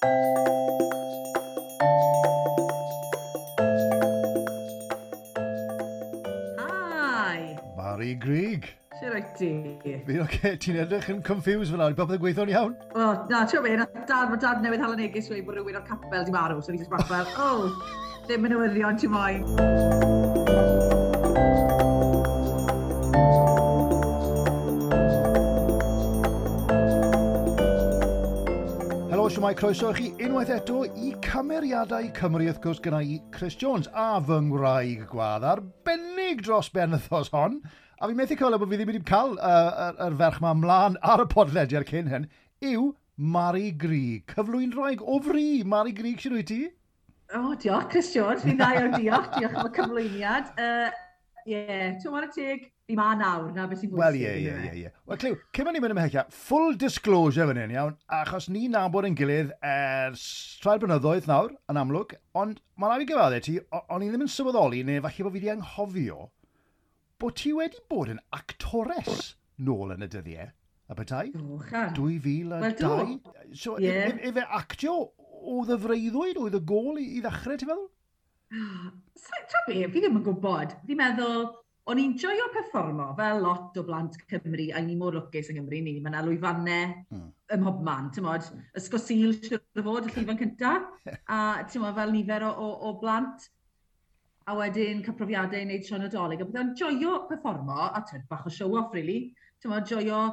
Hi! Mari Grug. Sut wyt ti? Fi'n oce, ti'n edrych yn confused fel nawr, popeth yn gweithio'n iawn? O, na, ti'n meddwl, dad, mae dad newydd hala neges wedi bod rhywun o'r capel di marw, so fi jyst bach fel, oh, ddim yn newyddion ti moyn. Helo, siwmai, croeso i chi unwaith eto i Cymeriadau Cymru, wrth gwrs, gyda i Chris Jones a fy ngwraig gwadd arbennig dros ben wythnos hon. A fi'n methu cofio bod fi ddim wedi cael yr ferch ma ymlaen ar y podlediad cyn hyn, yw Mari Grug, cyflwynwraig o fri. Mari Grug, sut wyt ti? O, diolch, Chris Jones, fi'n dda iawn, diolch, diolch am y cyflwyniad. Ie, ti'n whare teg, fi ma nawr, na beth sy'n bwysig. Wel, ie. Wel, Clyw, cyn mynd i'n mynd ymhellach, full disclosure fan hyn, iawn, achos ni nabod yn gilydd ers rhai blynyddoedd nawr, yn amlwg, ond mae'n rhaid i gyfadde ti, o'n i ddim yn sylweddoli, neu falle bod fi wedi anghofio, bod ti wedi bod yn actores nôl yn y dyddiau, a bethau? O, chan. 2002. Wel, do. So, Ie. efe actio oedd y freuddwyd, oedd y gol i ddechrau, ti'n meddwl? Ta be, fi ddim yn gwybod. Fi'n meddwl, o'n i'n joio perfformo fel lot o blant Cymru, a ni mor lwcus yng Nghymru ni, mae yna lwyfannau ym mhobman, ti'n modd, Ysgol Sul, siwr o fod, y llwyfan cynta, a ti'n modd, fel nifer o blant, a wedyn cael profiadau i wneud Sion Nadolig, a bydde'n joio perfformo, a ti'n bach o show-off, really, ti'n modd, joio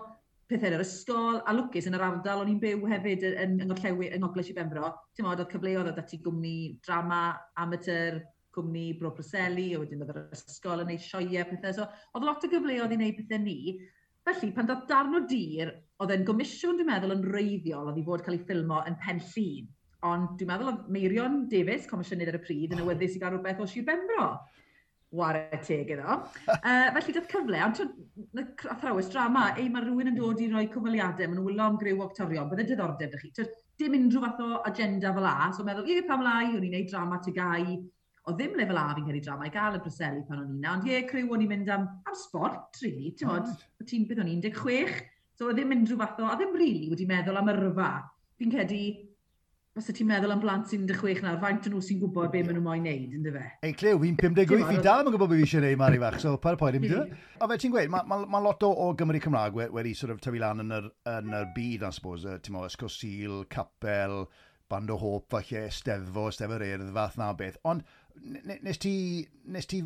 pethau yn yr ysgol, a lwcus yn yr ardal o'n i'n byw hefyd yn Ngorllewin, yng Ngogledd Sir Benfro, ti'n modd, oedd cyfleoedd oedd ati gwmni drama, amateur, gwmni Bro Preseli, a wedyn oedd yr ysgol yn neud sioeau, pethau. So, oedd lot o gyfleoedd i wneud pethau ni. Felly, pan dath darn o dir, oedd e'n gomisiwn, dwi'n meddwl, yn wreiddiol, oedd i fod cael ei ffilmo yn Pen Llŷn. Ond dwi'n meddwl oedd Meirion Davies, comisiynydd ar y pryd, yn awyddus i gael rhywbeth o Sir Benfro. Ware teg iddo. Felly, dath cyfle, ond athrawes drama, ei, mae rhywun yn dod i roi cyfweliadau, maen nhw'n wylo am griw o actorion, bydde diddordeb 'da chi. Twyd, dim unrhyw fath o agenda fel a, so meddwl, ie, pam lai, o'n i'n neud drama TGAU, oedd ddim lefel A fi'n credu drama i gael y Preseli pan o'n i 'na, ond ie, criw o'n i'n mynd am sport, really, ti'n modd, ti'n beth o'n i'n 16, so oedd ddim unrhyw fath o, a ddim really wedi meddwl am yrfa. Fi'n credu, os ti'n meddwl am blant sy'n 16 nawr, faint o'n nhw sy'n gwybod be maen nhw moyn neud, ynddo fe? Ei, Clyw, fi'n 58, fi dal yn gwybod beth fi eisiau neud, Mari fach, so pa'r poen i'm dweud. A fe ti'n gweud, mae ma lot o Gymru Cymraeg wedi sort of tyfu lan yn yr byd, I suppose, ti'n mo, Ysgol Sul, Capel, Band o Hope, falle, Steddfod, Steddfod Urdd, fath na beth. Ond nes ti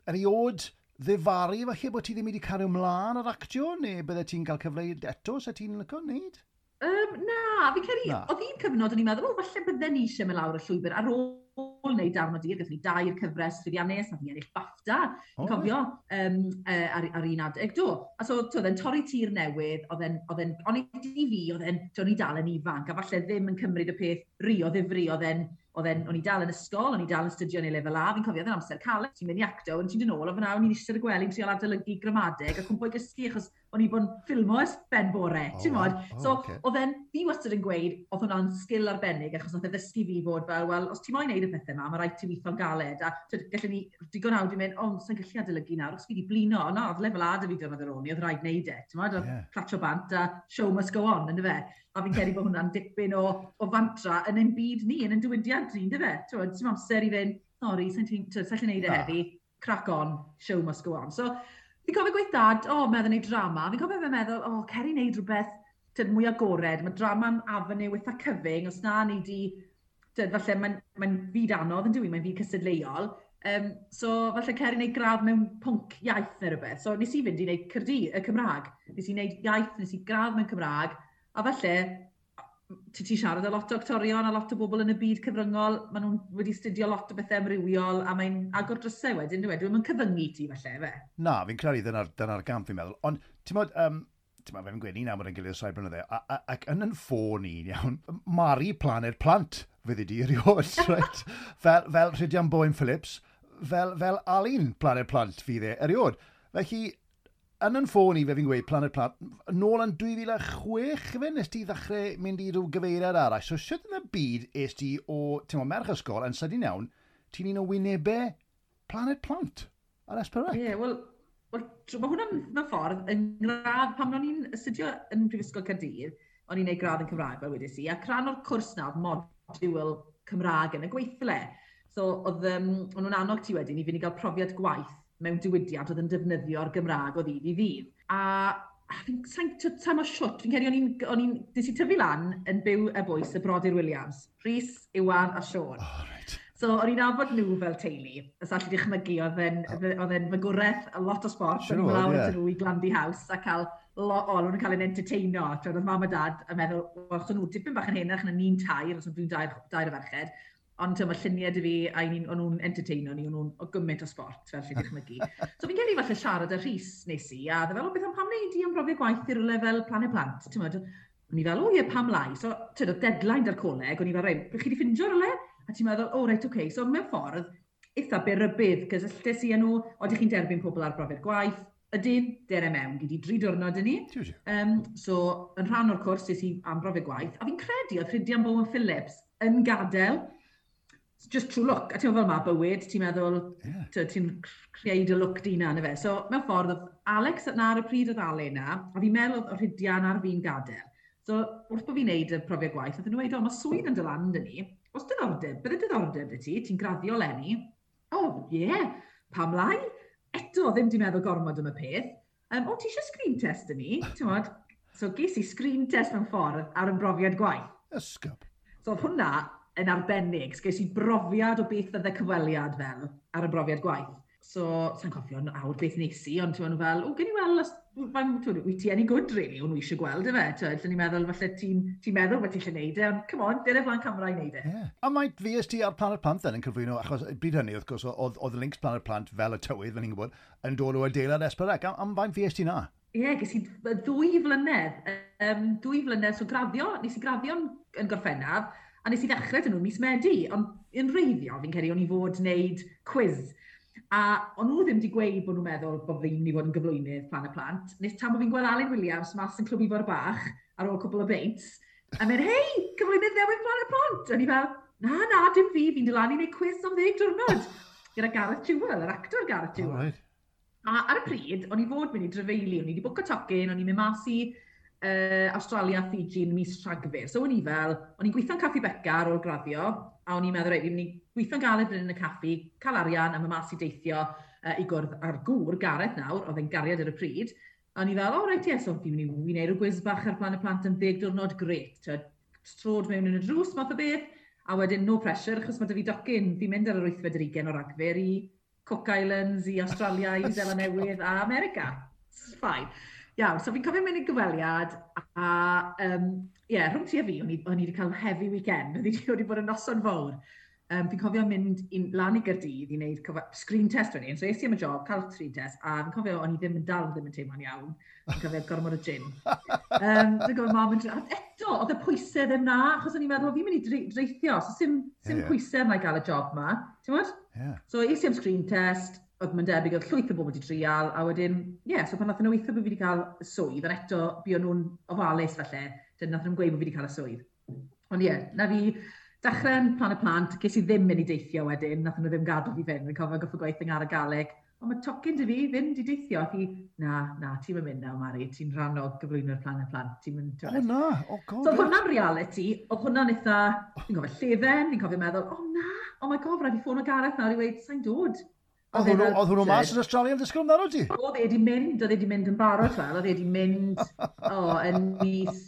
erioed ddifaru falle bod ti ddim wedi cario ymlaen ar actio, neu bydde ti'n cael cyfle eto, se ti'n licio wneud? Na, fi'n credu, Na. oedd un cyfnod o'n i'n meddwl, o, falle bydden ni eisiau mynd lawr y llwybr ar ôl wneud darn o dir, gathon ni dair cyfres llwyddiannus, nath ni ennill BAFTA, O, fi'n cofio, ar un adeg, do. A so, oedd e'n torri tir newydd, oedd e'n, o'n i di fi, oedd e'n, o'n i dal yn ifanc, a falle ddim yn cymryd y peth rhy o ddifri, o'n i dal yn ysgol, o'n i dal yn astudio yn ei lefel A, fi'n cofio, oedd e'n amser caled, ti'n mynd i acto, o'n ti'n dod nôl, a fyna, o'n i'n eistedd y gwely'n trial adolygu gramadeg, a cwmpo i gysgu, achos o'n i bod yn ffilmo ers ben bore, ti'n mod? So, oedd e'n, fi wastad yn gweud, oedd hwnna'n sgil arbennig, achos nath e ddysgu fi fod fel, wel, os ti moyn neud y pethau yma, mae rhaid ti weithio'n galed, a twyd, gallen ni digon hawdd i mynd, o, sa'n gallu adolygu nawr, os fi wedi blino, o na, oedd lefel A 'da fi diwrnod ar ôl ni, oedd rhaid neud e, ti'n mod, oedd clatsio bant a show must go on, ynddo fe? A fi'n credu bod hwnna'n dipyn o fantra yn ein byd ni, yn ein diwydiant ni, ynddo fe? Ti'n mod, dim amser i fynd, sori, sa'n gallu neud e Na. heddi, crack on, show must go on. So, fi'n cofio gweud dad, o, meddwl neud drama. Fi'n cofio fe meddwl, o, cer i neud rhywbeth tyd, mwy agored. Mae drama'n avenue eitha cyfyng, os na ni di, tyd, falle mae'n fyd anodd yn dyw i, mae'n fyd cystadleuol. So, falle cer i wneud gradd mewn pwnc iaith neu rhywbeth. So, nes i fynd i wneud Cyrdydd, y Cymraeg. Nes i wneud iaith, nes i gradd mewn Cymraeg, a falle, ti siarad â lot o actorion a lot o bobl yn y byd cyfryngol, maen nhw'n wedi astudio lot o bethau amrywiol, a mae'n agor drysau wedyn, dwi Dwi'n cyfyngu ti falle, fe. Na, fi'n credu dyna gamp fi'n meddwl. Ond, ti'n modd, ti'n modd, fe'n gweud ni nawr bod yn gilydd ers rhai blynydde, ac yn ffôn i'n iawn, Mari Planed Plant fyddi di erioed, right? Fel Rhydian Bowen Phillips, fel Alun Planed Plant fydd e erioed. Felly, yn ffôn i fe fi'n gweud Planed Plant, nôl yn 2006 fe, nes ti ddechrau mynd i ryw gyfeiriad arall. So, sut yn y byd es ti o, ti'n modd, merch ysgol, yn sydyn iawn, ti'n un o wynebau Planed Plant ar S4C? Ie, yeah, wel, mae hwnna'n mewn ffordd yn ngradd, pan o'n i'n astudio yn Prifysgol Caerdydd, O'n i'n neud gradd yn Cymraeg, fel wedes i, ac rhan o'r cwrs na oedd modiwl Cymraeg yn y gweithle. So, o'n nhw'n annog ti wedyn i fynd i gael profiad gwaith mewn diwydiant oedd yn defnyddio'r Gymraeg o ddydd i ddydd. A fi'n sa'n mo siwt, fi'n credu nes i tyfu lan yn byw y bwys y brodyr Williams, Rhys, Iwan a Siôn. Oh, right. So, o'n i'n nabod nhw fel teulu, os allu dychmygu, oedd e'n fagwraeth, a lot o sport, o'n i'n lawr at nhw i Glandy House a cael, o'n nhw'n cael ein entertaino, oedd mam a dad yn meddwl, wel, os o'n nhw dipyn bach yn henach na ni'n tair, os o'n nhw'n dair o ferched, ond mae lluniau dy fi, a o'n nhw'n entertaino ni, o'n nhw'n o gymaint o sport, fel allu dychmygu. So fi'n credu falle siarad â Rhys nes i, a dde fel, o beth am pam wneud i am brofiad gwaith i rywle fel Planed Plant, ti'n meddwl, o'n i fel, o ie, pam lai? So, ti'n meddwl, deadline da'r coleg, o'n i fel, reit, chi wedi ffindio rywle? A ti'n meddwl, o, reit, oce. So, mewn ffordd, eitha byr-rybudd, cysylltes i â nhw, oeddech chi'n derbyn pobl ar brofiad gwaith, ydyn, dere mewn, gyd i 3 diwrnod yn ni. So, yn rhan o'r cwrs, es i am brofiad gwaith, a fi'n credu oedd Rhydian Bowen Phillips yn gadael, just true luck. A ti'n meddwl fel ma bywyd, ti'n meddwl, ti'n creu dy lwc di na, na fe. So, mewn ffordd, oedd Alex na ar y pryd oedd Ale na, a fi'n meddwl oedd Rhydian ar fi'n gadael. So, wrth bod fi'n neud y profiad gwaith, oedd nhw'n dweud, o, mae swydd yn dod lan dyn ni. Os diddordeb, bydde diddordeb dy ti, ti'n graddio leni. O, oh, ie, yeah, pam lai? Eto, ddim di meddwl gormod am y peth. O, ti eisiau screen test dyn ni? Ti'n modd? So, ges i screen test mewn ffordd ar ymprofiad gwaith. Ysgub. So, oedd hwnna yn arbennig. So, ges i brofiad o beth fydde cyfweliad fel ar ymprofiad gwaith. So, sa'n cofio awr beth nes i, ond ti'n fel, o, gen i weld, wyt ti any good, really, o'n nhw eisiau gweld, efe. Ti'n ni'n meddwl, falle ti'n ti meddwl bod ti'n eisiau neud e, ond come on, dere flaen camera i neud e. Yeah. A mae VST ar Planet Plant then yn cyflwyno, achos bryd hynny, wrth gwrs, oedd links Planet Plant fel y tywydd, fel ni'n gwybod, yn dod o adeilad S4C. Am faint VST na? Ie, yeah, ges i 2 flynedd. 2 flynedd, so graddio, nes i graddio yn Gorffennaf, a nes i ddechrau dyn nhw mis Medi, ond yn reiddio, fi'n credu, o'n i fod wneud quiz. A o'n nhw ddim wedi gweud bod nhw'n meddwl bod fi'n mynd i fod yn gyflwynydd Planet Plant. Nes tan bod fi'n gweld Alun Williams mas yn Clwb Ifor Bach ar ôl cwpl o beints, a mynd, hei, cyflwynydd newydd Planet Plant! A ni fel, na, dim fi, fi'n dod lan i wneud quiz am 10 diwrnod. Gyda Gareth Jewell, yr actor Gareth Jewell. Oh, right. A ar y pryd, o'n i fod mynd i drafeili, o'n i wedi bwco tocyn, o'n i'n mynd mas i Australia, Fiji yn mis Rhagfyr. So o'n i fel, o'n i'n gweithio'n Caffi Beca ar ôl graddio, a o'n i'n meddwl, reit, fi'n mynd i gweithio'n galed fan hyn yn y caffi, cael arian, a mynd mas i deithio i gwrdd â'r gŵr, Gareth nawr, oedd e'n gariad ar y pryd. A o'n i fel, o, reit, ie, so fi'n mynd i wneud rhyw gwiz bach ar Planet Plant am 10 diwrnod, grêt. Trod mewn yn y drws, math o beth, a wedyn no pressure, achos mae 'da fi docyn, fi'n mynd ar yr 28 o Ragfyr i Cook Islands, i Australia, i Seland Newydd a America. It's fine. Iawn, so fi'n cofio mynd i gyfweliad, a yeah, rhwng ti a fi, o'n i wedi cael heavy weekend, o'n i wedi bod yn noson fawr. Fi'n cofio mynd lan i Gaerdydd i wneud screen test wedyn, so es i am y job, cael screen test, a fi'n cofio o'n i ddim yn dal ddim yn teimlo'n iawn, fi'n cofio gormod o gin. Fi'n cofio mam yn eto, oedd y pwysau ddim na, achos o'n i'n meddwl, fi'n mynd i dreithio, so sim pwysau yna i gael y job ma, ti'n gwybod? Yeah. So es i am screen test, oedd mae'n debyg, oedd llwyth o bobl wedi trial, a wedyn, ie, yeah, so pan nath nhw weithio bod fi wedi cael y swydd, ond eto, buon nhw'n ofalus falle, dyn nath nhw'n gweud bod fi wedi cael y swydd. Ond ie, yeah, na fi dechrau'n Planet Plant, ges i ddim mynd i deithio wedyn, nath nhw ddim gadw fi fynd, fi'n cofio goffo gweithio ar y Galeg, ond mae tocyn dy fi fynd i deithio, a fi, na, ti'n mynd nawr, Mari, ti'n rhan o gyflwyno'r Planet Plant, ti'n mynd... O na, oh god. So oedd hwnna'n reality, oedd hwnna'n eitha, fi'n cofio llefen, fi'n cofio meddwl, oh na, oh my god, rhaid i ffono Gareth nawr i weud, sa'n dod. Oedd hwnnw mas yn Australia yn disgwyl amdano ti? Oedd e wedi mynd yn barod fel, oedd e wedi mynd, yn mis...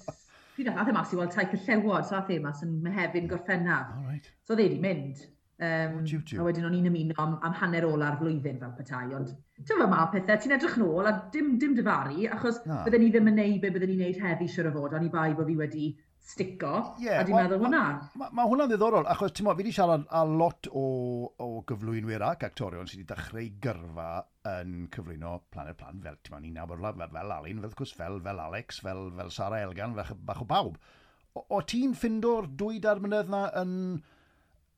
Pryd ath e mas i weld Taith y Llewod, so ath e mas yn Mehefin Gorffennaf. Oh, right. So oedd e wedi mynd. A wedyn o'n i'n ymuno am hanner ola'r flwyddyn fel petai, ond ti'n fel ma pethau, ti'n edrych nôl a dim difaru, achos bydden ni ddim yn neud be bydden ni'n neud heddi siŵr o fod, ond i bai bod fi wedi stico, a dwi'n meddwl hwnna. Mae hwnna'n ddiddorol, achos ti'n mo, fi wedi siarad â lot o gyflwynwyr ac actorion sydd wedi dechrau gyrfa yn cyflwyno Planet Plant, fel ti'n mo, ni'n nabod fel Alun, fel, wrth gwrs, fel Alex, fel Sarah Elgan, fel bach o bawb. O ti'n ffindo'r 2-3 mlynedd na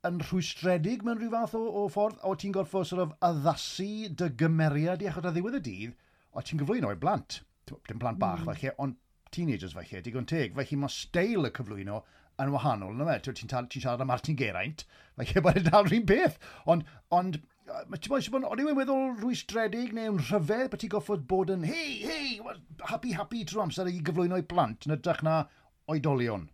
yn rhwystredig mewn rhyw fath o ffordd? O ti'n gorfod sort of addasu dy gymeriad i, achos ar ddiwedd y dydd, o ti'n gyflwyno i blant. Dim plant bach falle, ond teenagers falle, digon teg. Felly mae steil y cyflwyno yn wahanol, yna fe? Ti'n siarad am Martin Geraint, felly mae'n dal rhywun peth. Ond ti'n bod, o'n i'n meddwl rwystredig neu'n rhyfedd bod ti'n goffod bod yn, hei, hei, happy, happy trwy amser i gyflwyno i blant, yn ytrach na oedolion.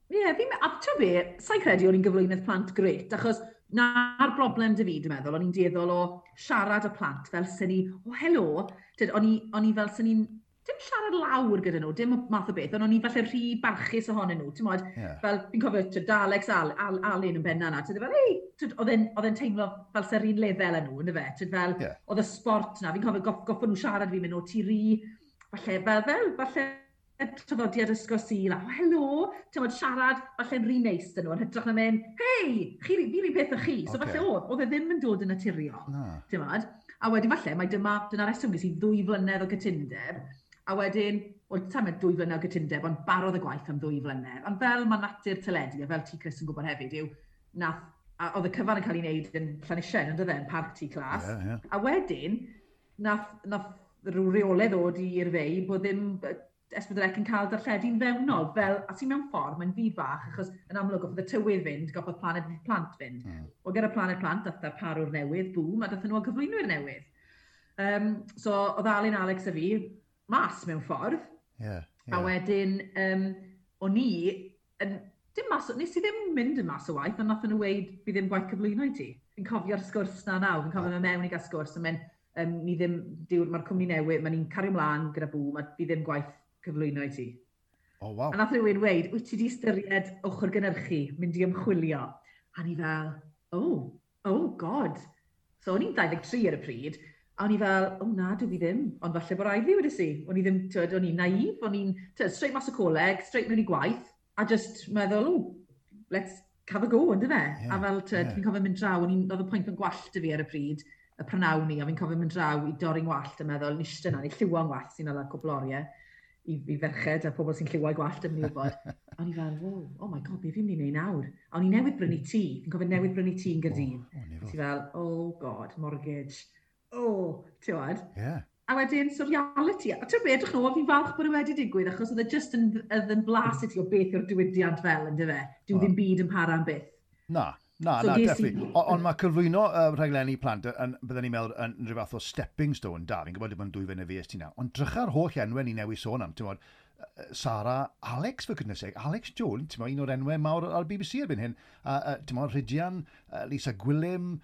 Ie, yeah, fi'n... A ti'n be, sa'n credu o'n i'n gyflwynydd plant gret, achos na'r broblem dy fi, dwi'n meddwl, o'n i'n dueddol o siarad y plant fel sy'n ni, o oh, helo, o'n i fel sy'n ni'n, dim siarad lawr gyda nhw, dim math o beth, ond o'n i falle rhy barchus ohonyn nhw, ti'n modd, fel, fi'n cofio, tyd, Alex Alun yn benna na, tyd, fel, ei, oedd e'n teimlo fel sy'r un lefel yn nhw, ynddo fe, tyd, fel, oedd y sport na, fi'n cofio goffon nhw siarad fi'n mynd, o, ti rhy, falle, fel, falle, traddodiad ysgol Sul, a oh, helo, ti'n modd, siarad, falle'n rhy neis dyn nhw, yn hytrach na mynd, hei, chi, fi'r un peth â chi. So falle oedd e ddim yn dod yn naturiol, ti'n modd. A wedyn falle, mae dyna reswm ges i 2 flynedd o gytundeb, a wedyn, wel, ta'n mynd 2 flynedd o gytundeb, ond barodd y gwaith am 2 flynedd. Ond fel mae natur teledu, a fel ti, Chris, yn gwybod hefyd, yw, nath, a oedd y cyfan yn cael ei wneud yn Llanisien, yn dydde, yn Parc Tŷ Clas. Yeah, yeah. A wedyn, nath rhyw reolau ddod i'r fei bod ddim S4C yn cael darlledu'n fewnol, fel, a ti'n mewn ffordd, mae'n fyd bach, achos yn amlwg goffodd y tywydd fynd, goffodd Planed Plant fynd. O gyda Planed Plant, dath darparwr newydd, boom, a dath nhw o gyflwynwyr newydd. So, oedd Alun, Alex a fi, mas mewn ffordd. Yeah, yeah. A wedyn, o'n i, dim mas, nes i ddim mynd yn mas o waith, ond nath nhw weud, fi ddim gwaith cyflwyno i ti. Fi'n cofio'r sgwrs na nawr, fi'n cofio mewn i gael sgwrs, a mynd, ni ddim, mae'r cwmni newydd, mae ni'n cario mlaen gyda Boom, a fi ddim gwaith cyflwyno i ti. Oh, wow. A nath rhywun weud, wyt ti di ystyried ochr gynhyrchu, mynd i ymchwilio? A ni fel, oh god. So o'n i'n 23 ar y pryd, a o'n i fel, oh na, dwi fi ddim, ond falle bod rhaid fi wedi si. O'n i ddim, tyd, o'n i'n naif, o'n i'n, straight mas o coleg, straight mewn i gwaith, a just meddwl, oh, let's have a go, ynddo fe? Yeah, a fel, tyd, fi'n cofio mynd draw, oedd y pwynt yn gwallt i fi ar y pryd, y prynawn ni, a fi'n cofio mynd draw i dorri'n gwallt a meddwl, nishtyn na, ni lliwo'n gwallt sy'n ala cwpl oriau i ferched a pobl sy'n lliwau gwallt yn mynd i wybod. A o'n i fel, wow, oh my god, be fi'n mynd i wneud nawr? A o'n i newydd brynu tŷ, fi'n cofio newydd brynu tŷ yn Gaerdydd. Oh, ti fel, oh god, mortgage. Oh, ti'n gwybod? Yeah. A wedyn, so reality, a ti'n gwybod, edrych nôl, fi'n falch bod e wedi digwydd, achos oedd e just yn blas i ti o beth yw'r diwydiant fel, ynddo fe? Dyw ddim byd yn para am byth. Na. Na, so na, definitely. Ond mae cyflwyno rhaglenni plant, byddwn ni'n meddwl, yn rhyw fath o stepping stone da. Fi'n gwybod dim ond 2 flynedd fi ti nawr. Ond drycha'r holl enwau ni newydd sôn am, ti'n gwybod, Sara, Alex, for goodness sake, Alex Jones, ti'n gwybod, un o'r enwau mawr ar BBC erbyn hyn. Ti'n gwybod, Rhydian, Lisa Gwilym,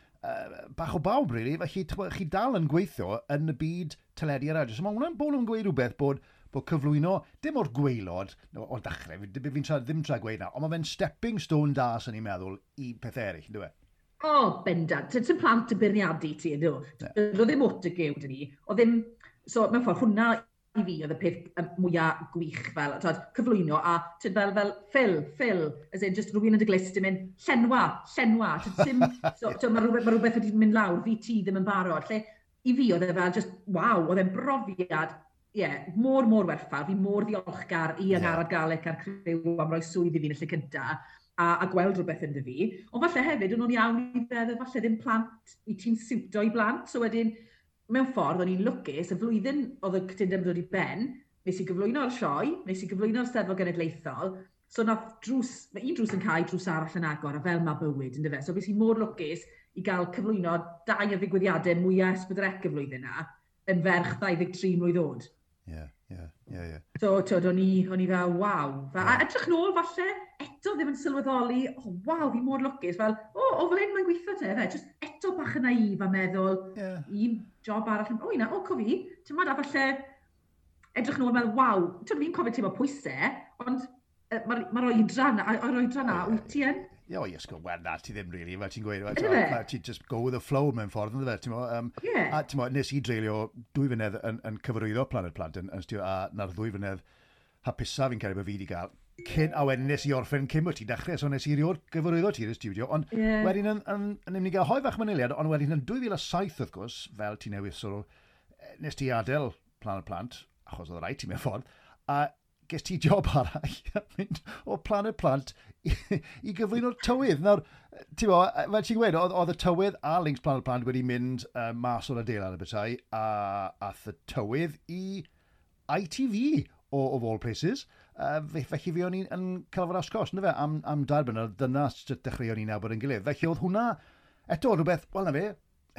bach o bawb, really. Felly, chi dal yn gweithio yn y byd teledu a radio. So mae hwnna'n bod yn gweud rhywbeth bod cyflwyno, dim o'r gwaelod, o'r dechrau, fi'n ddim tra gweud na, ond mae fe'n stepping stone da, sy'n ni'n meddwl, i pethau eraill, ynddo fe? O, bendant. Ti'n plant yn beirniadu ti, ynddo? Oedd ddim autogyw dyn ni. Oedd ddim, so mewn ffordd, hwnna i fi oedd y peth mwyaf gwych fel, twad, cyflwyno, a tyd, fel Phil, as in, just rhywun yn dy glust yn mynd, llenwa, tyd, so, mae rhywbeth wedi mynd lawr, fi ti ddim yn barod. Lle, i fi oedd e fel, just, waw, oedd e'n brofiad, ie, yeah, mor werthfawr, fi mor ddiolchgar i Angharad Garlick a'r criw am roi swydd i fi yn y lle cynta, a gweld rhywbeth ynddo fi. Ond falle hefyd, o'n nhw'n iawn i feddwl, falle ddim plant, i ti'n siwto i blant. So wedyn, mewn ffordd, o'n i'n lwcus, y flwyddyn oedd y cytundeb yn dod i ben, nes i gyflwyno'r sioe, nes i gyflwyno'r Steddfod Genedlaethol, so nath drws, mae un drws yn cau, drws arall yn agor, a fel mae bywyd, ynddo fe. So fues i mor lwcus i gael cyflwyno 2 o ddigwyddiadau mwyaf S4C y flwyddyn na, yn ferch 23 mlwydd oed. Yeah. So, twyd, o'n i fel, waw. Fel, yeah. A edrych nôl, falle, eto ddim yn sylweddoli, oh, waw, fi mor lwcus, fel, o, fel hyn mae'n gweithio te, fe. Just eto bach yn naif a meddwl, un job arall, o, na, o, cofi, ti'n modd, a falle, edrych nôl, meddwl, waw, twyd, fi'n cofio teimlo pwysau, ond mae'r oedran, o'r oedran na, wyt ti yn? Ie, o, ysgol, wel, na, ti ddim really, fel ti'n gweud, ti just go with the flow mewn ffordd, ynddo fe, ti'n mo, a ti'n mo, nes i dreulio 2 flynedd yn cyfarwyddo Planed Plant, yn studio, a na'r 2 flynedd hapusa fi'n credu bod fi wedi gael, cyn, a wedyn nes i orffen cyn bod ti'n dechrau, so nes i rioed gyfarwyddo ti i'r studio, ond wedyn yn mynd i gael hoi fach manyliad, ond wedyn yn 2007, wrth gwrs, fel ti newydd sort of, nes ti adael Planed Plant, achos oedd rhaid ti mewn ffordd, a ges ti job arall mynd o Planed Plant i gyflwyno'r tywydd. Nawr, ti'n bo, fel ti'n gweud, oedd y tywydd a Links Planed Plant wedi mynd mas o'r adeilad y bethau, a ath y tywydd i ITV of all places. Felly fi o'n i'n cael fod asgos, ynddo fe, am 2 blynedd, dyna sut dechreuon ni nabod yn gilydd. Felly oedd hwnna, eto rhywbeth, wel na fe,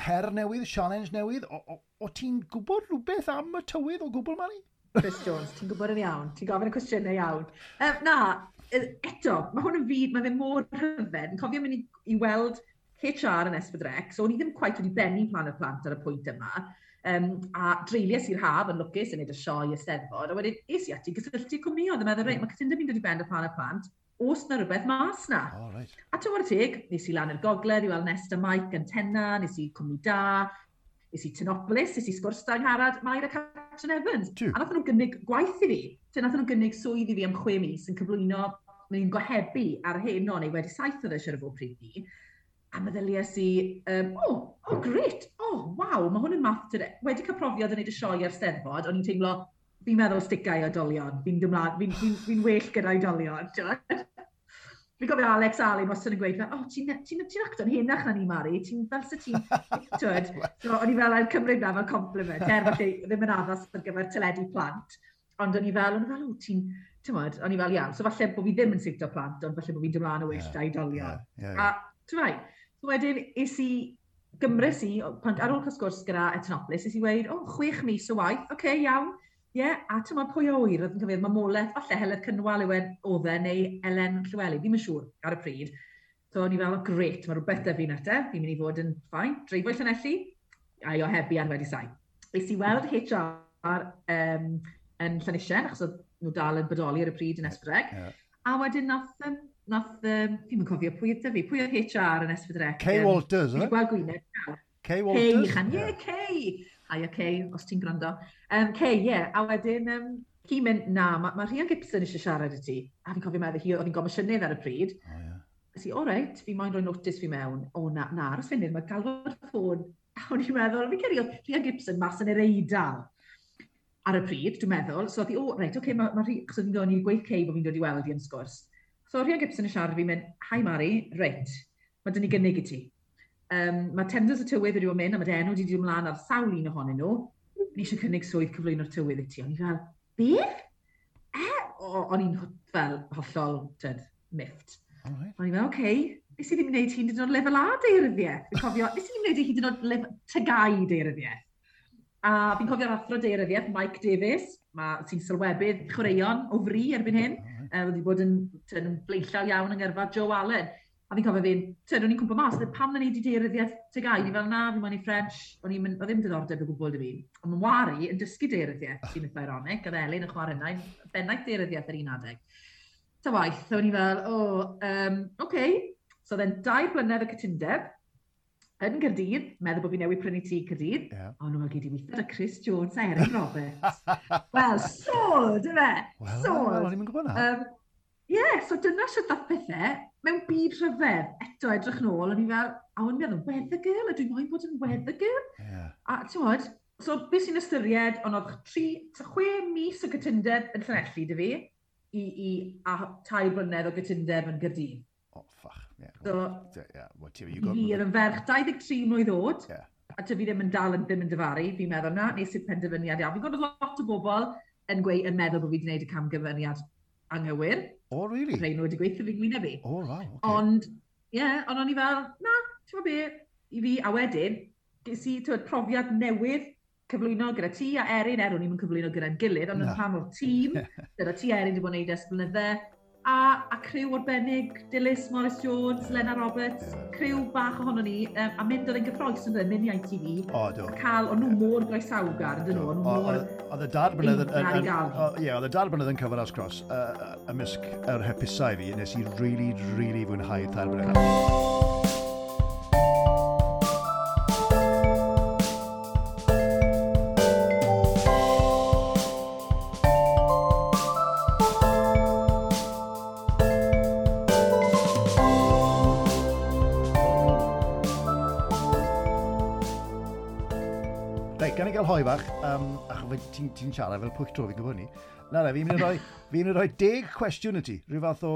her newydd, challenge newydd, o ti'n gwybod rhywbeth am y tywydd o gwbl, Mari? Chris Jones, ti'n gwybod yn iawn, ti'n gofyn y cwestiynau iawn. Na, eto, mae hwn yn fyd, mae fe mor rhyfedd. Yn cofio mynd i weld HR yn S4C, so o'n i ddim quite wedi bennu Plan y Plant ar y pwynt yma. A dreulies i'r haf yn lwcus yn neud y sioe y Steddfod, a wedyn es i ati gysylltu cwmnioedd yn meddwl, reit, mae cytundeb fi'n dod i ben y Plan y Plant, oes na rhywbeth mas na. Oh, right. A ti'n teg, nes i lan i'r gogledd i weld Nesta Mike Antenna, nes i Cwmni Da, nes i Tinopolis, nes i sgwrs da Angharad, Mair a Catrin Evans. Tiw. A nath nhw gynnig gwaith i fi. Ti'n nath nhw gynnig swydd i fi am 6 mis yn cyflwyno, neu'n gohebu ar Heno, neu Wedi Saith oedd e siarad fod pryd ni. A meddyliais i, oh, great, oh, waw, mae hwn yn math, wedi cael profiad yn gwneud y sioe ar Steddfod, o'n i'n teimlo, fi'n meddwl sticau i oedolion, fi'n dymlaen, fi well gyda oedolion, ti'n Fi'n gofio Alex Allen wastad yn gweud, fel, oh, ti'n ti, ti acto'n henach na ni, Mari, ti'n fel sy ti'n, twyd, so, o'n i fel, a'r cymryd na fel compliment, er falle ddim yn addas ar gyfer teledu plant, ond o'n i fel, oh, ti'n, ti'n o'n i fel, iawn, so falle bod fi ddim yn siwto plant, ond falle bod fi'n dymlaen o well da oedolion. Yeah. A, ti'n fai, so wedyn, es i, gymrys i, pan, ar ôl cael sgwrs gyda Etnopolis, es i weid, oh, 6 mis o waith, oce, okay, iawn, ie, yeah, a ti'n meddwl pwy o wyr, oedd yn cyfeirio mamolaeth, falle Heledd Cynwal yw e, oedd e, neu Elen Llywelyn, ddim yn siŵr ar y pryd. So o'n i fel, oh, great, mae rhywbeth da fi na te, fi'n mynd i fod yn fine, dreifo i Llanelli, a i ohebu ar Wedi Saith. Es i weld HR yn Llanisien, achos oedd nhw dal yn bodoli ar y pryd yn S4C. A wedyn nath, fi'n cofio pwy oedd fi, pwy oedd HR yn S4C? Kay Walters, Fi eh? 'di gweld gwyneb nawr. Kay Kay, Walters? Ichan, ie, yeah, Kay. Hiya Kay, os ti'n gwrando. Kay, ie, yeah. A wedyn, hi'n mynd, na, ma Rhian Gibson eisiau siarad i ti. A fi'n cofio meddwl, hi oedd hi'n gomisiynydd ar y pryd. Oh, yeah. Nes i, o reit, fi moyn rhoi notice fi mewn. O na, na, aros funud, mae galw'r ffôn. A o'n i'n meddwl, fi'n credu oedd Rhian Gibson mas yn yr Eidal ar y pryd, dwi'n meddwl. So oedd hi, o, reit, oce, okay, mae ma Rhi-, achos oedd hi'n dod i'r gweith Kay bod fi'n dod i weld hi yn sgwrs. So Rhian Gibson yn siarad fi'n mynd, "Hi Mari, reit, mae dyn ni gynnig i ti. Mae tenders y tywydd wedi bod yn mynd, a mae dy enw wedi dod ymlaen ar sawl un ohonyn nhw. Ni eisiau cynnig swydd cyflwyno'r tywydd i ti." O'n i fel, "Beth?" E? O, o'n i'n fel hollol, tyd, miffed. All right. O'n i fel, oce, okay, nes i ddim wneud hyd yn oed lefel A daearyddiaeth. Fi'n cofio, nes i ddim wneud hyd yn oed lefel TGAU daearyddiaeth. A fi'n cofio'r athro daearyddiaeth, Mike Davies, sy'n sylwebydd chwaraeon o fri erbyn hyn. All right. Wedi bod yn blaenllaw iawn yng ngyrfa Joe Allen. A fi'n cofio fi'n, tyd, o'n i'n cwmpa mas, pam na ni di daearyddiaeth TGAU? Ni fel, na, fi'n moyn i French, o'n i'n mynd, oedd ddim diddordeb o gwbl 'da fi. Ond mae Wari yn dysgu daearyddiaeth, sy'n eitha ironic, oedd Elin yn chwarae yna, bennaeth daearyddiaeth ar un adeg. Ta waith, o'n i fel, o, oh, okay. So then 2 blynedd o cytundeb yn Gaerdydd, meddwl bod fi newydd prynu tŷ Caerdydd. A nhw'n fel, gyd i weithio 'da Chris Jones a Erin Roberts. Wel, sold, yfe? Wel, Sold. wel, o'n i'n gwybod na. Ie, so dyna sut ddath pethau mewn byd rhyfedd. Eto, edrych nôl, o'n i fel, a o'n i'n meddwl, weather girl, a dwi'n moyn bod yn weather girl. A ti'n gwybod, so beth sy'n ystyried, ond oedd 6 mis o gytundeb yn Llanelli 'da fi, a 3 blynedd o gytundeb yn Gaerdydd. Oh, fuck. Yeah. So, Yeah, well, ti, you i got. fi oedd yn ferch 23 mlwydd oed, a ty fi ddim yn dal yn ddim yn dyfaru, fi'n meddwl na, nes i'r penderfyniad iawn. Fi'n gwybod lot o bobl yn gweud, yn meddwl bod fi wedi gwneud y camgymeriad anghywir. Oh, really? Rhai nhw wedi gweithio fi'n gwyneb fi. Oh, wow, okay. Ond, ie, yeah, ond o'n i fel, na, ti'n gwybod be, i fi, a wedyn, ges i, t'wod, profiad newydd cyflwyno gyda ti a Erin, er o'n i'm yn cyflwyno gyda'n gilydd, ond yn Na. rhan o'r tîm, gyda ti a Erin wedi bod yn neud ers blynydde, a criw arbennig, Dilys, Morris Jones, Lena Roberts, criw bach ohono ni, a mynd oedd yn gyffrous yn dweud, mynd i ITV, O, do. a cael, o'n nhw mor groesawgar, yn dyn nhw, o'n nhw mor Oedd y dair blynedd yn... eiddgar i gael. Ie, oedd y dair blynedd yn Cyfan Cross ymysg yr hapusau fi, nes i really, really fwynhau 3 blynedd. Reit, gan i gael hoe bach, achos ti'n ti siarad fel pwyll tro fi'n gwybod ni. Na, fi'n mynd i roi 10 cwestiwn i ti. Rhyw fath o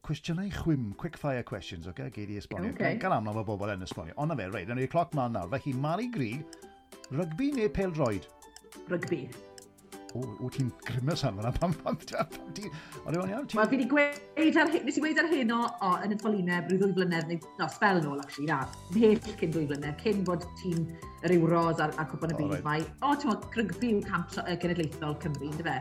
cwestiynau chwim, quick fire questions, oce? Okay? Gei di esbonio. Ocê. Gan aml mae bobl yn esbonio. Ond na fe, reit, nawn ni'r cloc mlaen nawr. Felly, Mari Grug, rygbi neu pêl-droed? Rygbi. O, ti'n grimace am hwnna, pam ti. Ond yw'n iawn? Wel, fi wedi gweud ar, nes i gweud ar heno, o, yn y ffolineb, rhyw 2 flynedd, neu, no, sbel nôl, actually, na, mhell cyn 2 flynedd, cyn bod tîm yr Euros a'r Cwpan y Byd, right. Mae, o, ti'n meddwl, rygbi yw camp cenedlaethol Cymru, ynddo fe?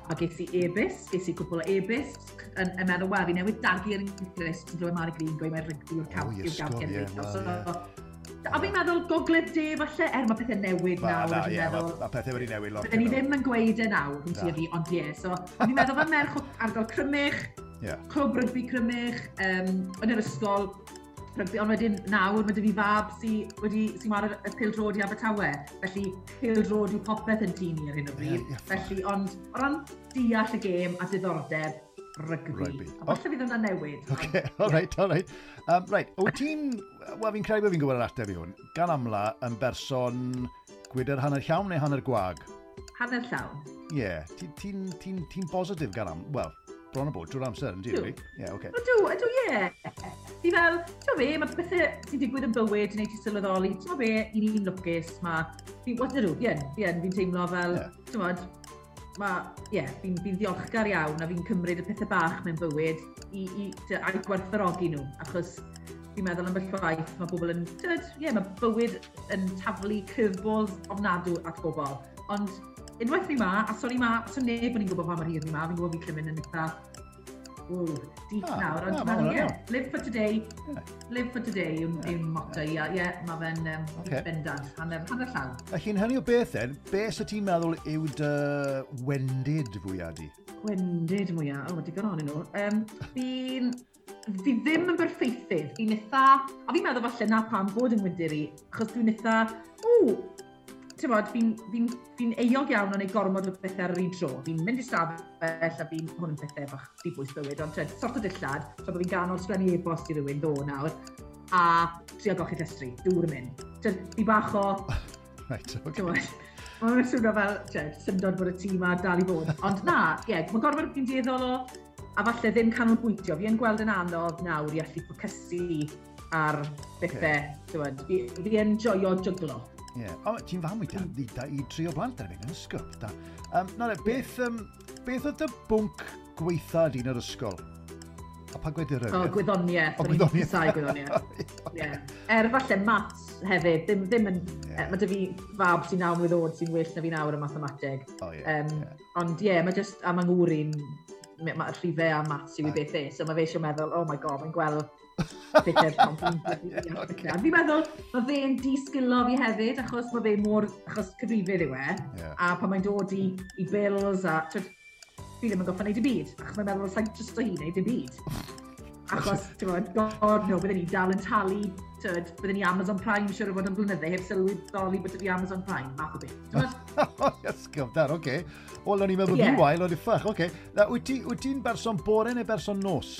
A ges i e-byst, ges i cwpl o e-byst, yn meddwl, wel, fi newydd dagu ar yng Nghyst, yn clywed Mari Green gweud mae rygbi yw'r camp, yw'r gamp cenedlaethol. So, a fi'n meddwl gogledd de falle, er mae pethau newid nawr. Na, ie, mae pethau wedi newid lot. Bydden ni ddim yn gweud e nawr, rwy'n ti fi, ond ie. So, fi'n meddwl fel merch o ardal Crymych, clwb rygbi Crymych, yn yr ysgol, rygbi, ond wedyn nawr mae 'da fi fab sy'n wedi, sy ar y pêl-droed i Abertawe. Felly pêl-droed yw popeth yn tŷ ni ar hyn o bryd. Yeah, yeah, Felly, ond o ran deall y gêm a diddordeb, rygbi. Rygbi. A falle fydd hwnna'n newid. OK, all right, all right. Right, wyt ti'n, wel, fi'n credu bod fi'n gwybod yr ateb i hwn, gan amla yn berson gwydr hanner llawn neu hanner gwag? Hanner llawn. Ie, yeah, ti'n ti, ti, ti bositif gan am, wel, bron o bod drwy'r amser, yn di, really? Ie, yeah, oce. Ydw, ydw, ie. Fi fel, ti'n be, mae pethau sy'n digwydd yn bywyd neu ti sylweddoli, ti'n be, i ni'n lwcus, mae, fi, what ydw, fi yn, fi yn, fi'n teimlo fel, yeah. Ti'n bod, mae, ie, yeah, fi ddiolchgar iawn a fi'n cymryd y pethau bach mewn bywyd i gwerthfawrogi nhw, achos fi'n meddwl am waith, mae bobl yn, ie, yeah, mae bywyd yn taflu curveballs ofnadw at bobl. Ond unwaith ni ma, a sori ma, so neb yn i'n gwybod pa mor hir ni ma, fi'n gwybod fi'n cymryd yn eitha, oh, deep nawr, ond ah, yeah, live for today, live for today yw'n yeah. yw motto i, a ie, mae fe'n bendant, hanner llawn. Felly'n hynny o beth then, beth sy'n ti'n meddwl yw dy wendid fwyaf di? Gwendid mwyaf, o, oh, digon ohonyn nhw. Fi ddim yn berffeithydd, fi'n eitha, a fi'n meddwl falle na pam bod yn wendid i, achos dwi'n eitha, o, ti'n bod, fi'n fi fi euog iawn o'n ei gormod o bethau ar yr un tro. Fi'n mynd i stafell a fi'n, hwn yn pethau bach dibwys bywyd, ond twed, sort o dillad, so bod fi'n ganol sgrennu e-bost i rywun ddo nawr, a trio golchi llestri, dŵr yn mynd. Twed, fi bach o... Right, okay. Mae'n swnio fel, twed, syndod bod y tîm a dal i fod. Ond na, ie, yeah, mae gorfod fi'n dueddol o, a falle ddim canolbwyntio. Fi yn gweld yn anodd nawr i allu ffocysu ar bethau, okay. Fi yn joio jyglo. Ie. Yeah. O, ti'n fam i, i tri o blant erbyn yn ysgol. Da. Na, beth, beth oedd dy bwnc gweitha di yn yr ysgol? A pa gwedir? O, gwyddoniaeth. O, gwyddoniaeth. O'n gwyddoniaeth. Yeah. Er falle maths hefyd, ddim yn... Yeah. Mae 'da fi fab sy'n 9 mlwydd oed sy'n well na fi nawr yn mathemateg. Oh, yeah, Ond ie, yeah, mae just, a mae ngŵr i'n, mae rhifau a maths yw i beth e, so mae fe eisiau meddwl, "Oh my God, mae'n gweld pethau pan fi'n." A fi'n meddwl, mae fe'n disgilo fi hefyd, achos mae fe mor, achos cyfrifydd yw e, a pan mae'n dod i bills a, twyd, fi ddim yn goffa wneud y byd, achos mae'n meddwl, sa'n just o hi wneud y byd. Achos, ti'n gwybod, God no, bydden ni dal yn talu, tyd, bydden ni Amazon Prime siwr o fod yn blynydde, heb sylweddoli bod fi Amazon Prime, math o beth. T'mod? Ysgol, dar, oce. Wel, o'n i'n meddwl fi'n wael, o'n i ffach, oce. Wyt ti'n berson bore neu berson nos?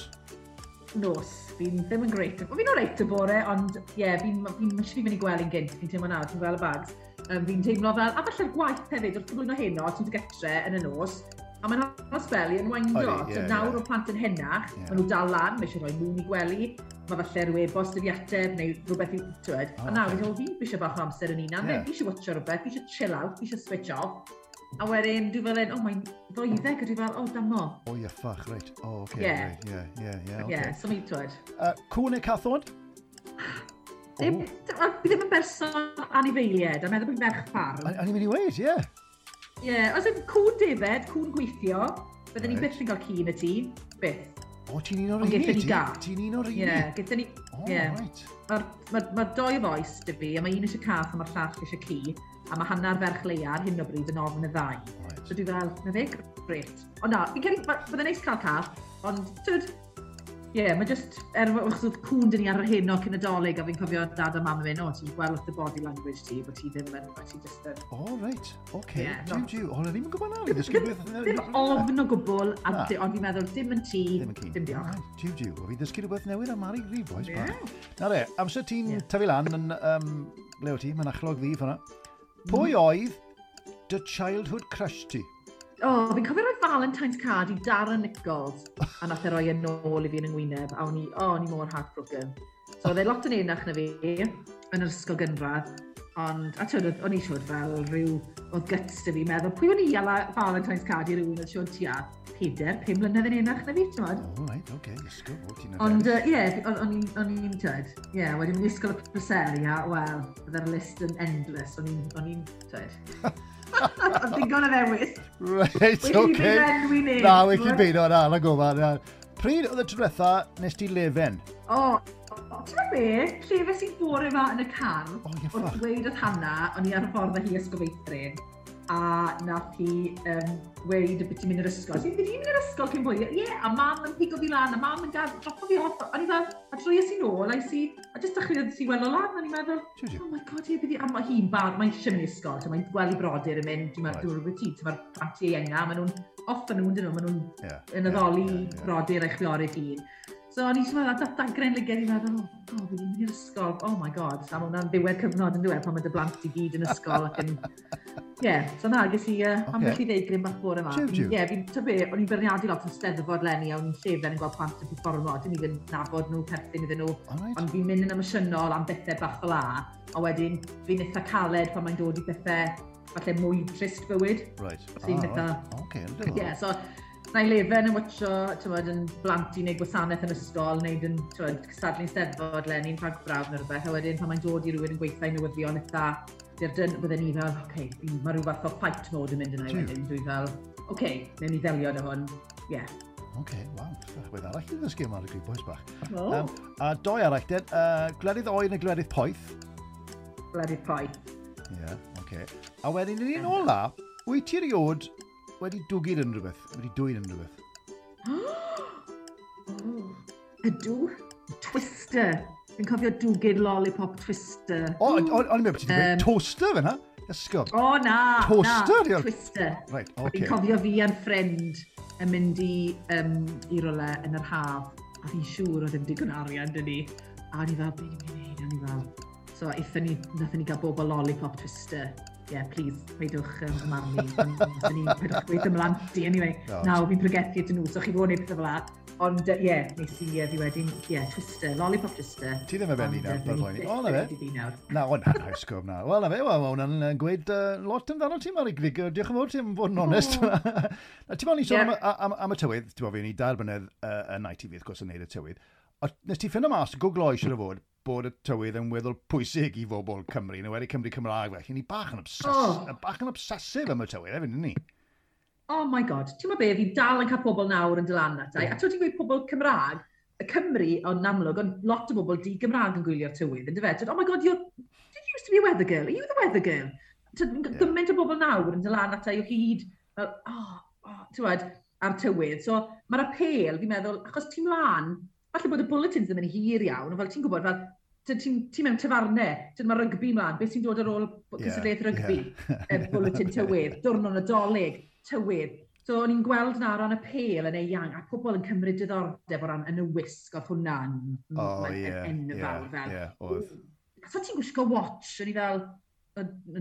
Nos, fi'n ddim yn great. Fi'n oreit y bore, ond ie, yeah, fi'n fi, fi mynd i gwely'n gynt, fi'n teimlo nawr, fi'n gweld y bags. Fi'n teimlo fel, a falle'r gwaith hefyd, wrth gyflwyno heno, ti'n gytre yn y nos, a mae'n aros fel i yn windo. So nawr o plant yn henach, maen nhw dal lan, mae eisiau rhoi nhw'n i gwely, mae falle rhyw e-bost i fi ateb, neu rhywbeth i, twed. A nawr, fi'n meddwl, fi eisiau bach o amser yn unan, fi eisiau watcho rhywbeth, fi eisiau chill out, fi eisiau switch off. A wedyn, dwi fel un, oh, mae'n 12, a dwi fel, oh, damo. O, ie, ffach, reit. O, oce, right, ie, oce. Ie, so mi, twed. Cwn neu cathod? Ddim, fi ddim yn berson anifeiliaid, a meddwl bod fi'n ferch ffarm. O'n i'n mynd i weud, ie. Ie, yeah, os yn cwn defed, cwn gweithio, bydden ni byth yn cael ci yn y tŷ, byth. O, ti'n un o'r Ond rheini? gaethon ni gath. Ti'n un o'r rheini? Ie, gaethon ni, O, ie. reit. Mae'r ma doi fois 'da fi, a mae un eisiau cath a mae'r llall eisiau ci, a mae hanner ferch Leia ar hyn o bryd yn ofn y ddau. So dwi fel, na fe, grêt. Ond na, fi'n credu, bydde'n neis cael cath, ond, tyd, ie, yeah, mae just, achos oedd cwn dyn ni ar yr heno cyn y Dolig, a fi'n cofio dad a mam yn mynd, "O, ti'n gweld wrth y body language ti, bod ti ddim yn, bod ti just yn," O, reit. Oce. Ie, Jiw, jiw. O, o'n i'n gwybod na. Fi'n ddysgu rhywbeth. Ddim ofn o gwbl, a Na. ond fi'n meddwl, dim yn ti, Ddim yn ci. dim diolch. Right, jiw, jiw. O, fi'n ddysgu rhywbeth newydd am Mari Green, boys. Ie. Na re, amser ti'n tyfu lan yn, le o ti, mae'n achlog ddi fyna. Pwy oedd dy childhood crush ti? O, oh, fi'n cofio rhoi Valentine's card i Darren Nichols, a nath e roi e nôl i fi yn yng ngwyneb, a o'n i, oh, o'n i mor heartbroken. So oedd e lot yn enach na fi, yn yr ysgol gynradd. Ond, a twyd, o'n i siwr fel rhyw, oedd guts dy fi meddwl, pwy o'n i ala Valentine's card i rywun oedd siwr tua 4, 5 mlynedd yn enach na fi, ti'n modd? Oh, right, oce, okay, ysgol, o, ti'n Ond, ie, o'n i'n, twyd, ie, wedyn mynd i ysgol y Preseli, a, wel, bydde'r list yn endless, o'n i'n, twyd. Oedd digon o ddewis. Right, oce. Okay. Na, well i beidio, na, na gofal, na. Pryd oedd y tro diwetha nes ti lefen? O, ti'n meddwl be? Llefes i'n bore yma yn y car, oh, yeah, wrth dweud wrth Hannah, o'n i ar y ffordd â hi ysgol feithrin, a nath hi weud y beth ti'n mynd i'r ysgol. Ti'n mynd i'r ysgol cyn bwy? Ie, yeah, a mam yn pigo fi lan, a mam yn dropo fi off. O'n i fel, a troies i nôl, a i, a jyst dechreuodd si weld o lan, o'n i'n meddwl, oh my god, ie, byddi, a mae hi'n bar, mae eisiau mynd i ysgol, so mae'n gweld i brodyr yn mynd, dwi'n meddwl, rhywbeth ti, mae'r plant ieuenga, maen nhw'n off yn nhw, dyn nhw, maen nhw'n yn addoli brodyr a'i chwiorydd hun. So o'n i eisiau meddwl, dagren lyged i'n meddwl, oh, fi ddim mynd i'r ysgol, oh my god, a mae hwnna'n ddiwedd cyfnod yn diwedd pan mae dy blant i gyd yn ysgol ac yn... Ie, yeah, so na, ges i ambell i ddeigryn bach bore yma. Ie, yeah, fi'n, ta be, o'n i'n beirniadu lot yn Steddfod leni, a o'n i'n llefen yn gweld plant yn performo, dim i'n nabod nhw, perthyn iddyn nhw, right. Ond fi'n mynd yn emosiynol am bethau bach fel a, a wedyn fi'n eitha caled pan mae'n dod i bethau falle mwy trist bywyd. Right. So fi'n eitha... Okay, yeah, so na i lefen yn watcho, tywed, yn blant i wneud gwasanaeth yn ysgol, wneud yn, tywed, cystadlu'n Steddfod leni'n rhagbraf neu rhywbeth, a wedyn pan mae'n dod i rhywun yn gweithio i newyddion eitha, bydden ni fel, oce, okay, mae rhyw fath o fight mode yn mynd yna i wedyn, dwi fel, oce, okay, newn ni ddelio â hwn, ie. Yeah. Oce, okay, waw, beth arall i ddysgu yma ar y grib boys bach. Oh. A doi arall, den, gwledydd oer neu gwledydd poeth? Gwledydd poeth. Ie, yeah, oce. Okay. A wedyn, yn un ola, wyt ti erioed wedi dwgyd yn rhywbeth? Wedi dwyn yn rhywbeth? Ydw. Twister. Fi'n cofio dwgyd lollipop twister. O, o'n i'n meddwl bod ti'n dweud toaster fyna? Ysgob. O, na. Toaster? Na, twister. Right, oce. Fi'n cofio fi a'n ffrind yn mynd i rywle yn yr haf. A fi'n siŵr oedd ddim digon arian dyn ni. A o'n i fel, be ni'n mynd i wneud? O'n i fel. So, nathon ni gael bob o lollipop twister. Yeah, please, peidwch marnu. Peidwch gweud ymlaen ti, anyway. No. Nawr, fi'n pregethu ydyn nhw, so chi fod wneud pethau fel la. Ond, ie, yeah, nes i fi wedyn, ie, yeah, twister, lollipop twister. Ti ddim yn benni nawr, fel poeni. O, na fe. Na, o, na, na, ysgob, na. Wel, na fe, wel, mae hwnna'n gweud lot amdano ti, Mari Grug. Diolch yn fawr ti am fod yn onest. Ti'n meddwl ni sôn am y tywydd, ti'n meddwl, fi ni 2 blynedd yn ITV, wrth gwrs, yn neud y tywydd. Nes ti ffindo mas, gwglo eisiau fod, bod y tywydd yn weddol pwysig i bobl Cymru, neu wedi Cymru Cymraeg felly. Ni bach yn bach yn obsessive am y tywydd, hefyd, ni? Oh my god, ti'n meddwl be, fi dal yn cael pobl nawr yn dylan ata. A ti'n gweud pobl Cymraeg, y Cymru, ond amlwg, ond lot o bobl di-Gymraeg yn gwylio'r tywydd, yn dyfe? Oh my god, did you used to be a weather girl? Are you the weather girl? Gymaint o bobl nawr yn dylan ata i o hyd, fel, ti'n gwybod, ar tywydd. So, mae'r apêl, fi'n meddwl, achos ti'n mlaen, falle bod y bulletins ddim yn hir iawn, ond fel ti'n gwybod, fel, ti mewn tafarnau, mae rygbi mlaen, beth sy'n dod ar ôl cystadleuaeth rygbi, bulletin tywydd, diwrnod Nadolig, tywydd. So o'n i'n gweld na ran y pêl yn eang, a pobl yn cymryd diddordeb o ran yn y wisg, oedd hwnna'n enfawr. Oedd. So ti'n gwisgo watch, o'n i fel,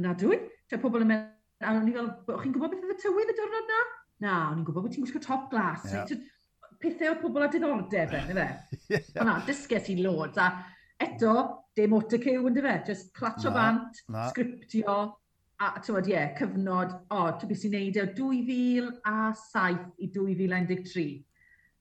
na dwi? Pobl yn mynd, a o'n i fel, chi'n gwybod beth oedd y tywydd y diwrnod na? Na, o'n i'n gwybod bod ti'n gwisgo top glass. Yeah. Pethau o pobl â diddordeb yn, ife? Yeah. O na, dysges i loads, a eto, dim autocue, yn dyfe? Just clatio bant, sgriptio, a ti'n ie, cyfnod, ti'n beth sy'n neud e, 2007 i 2013.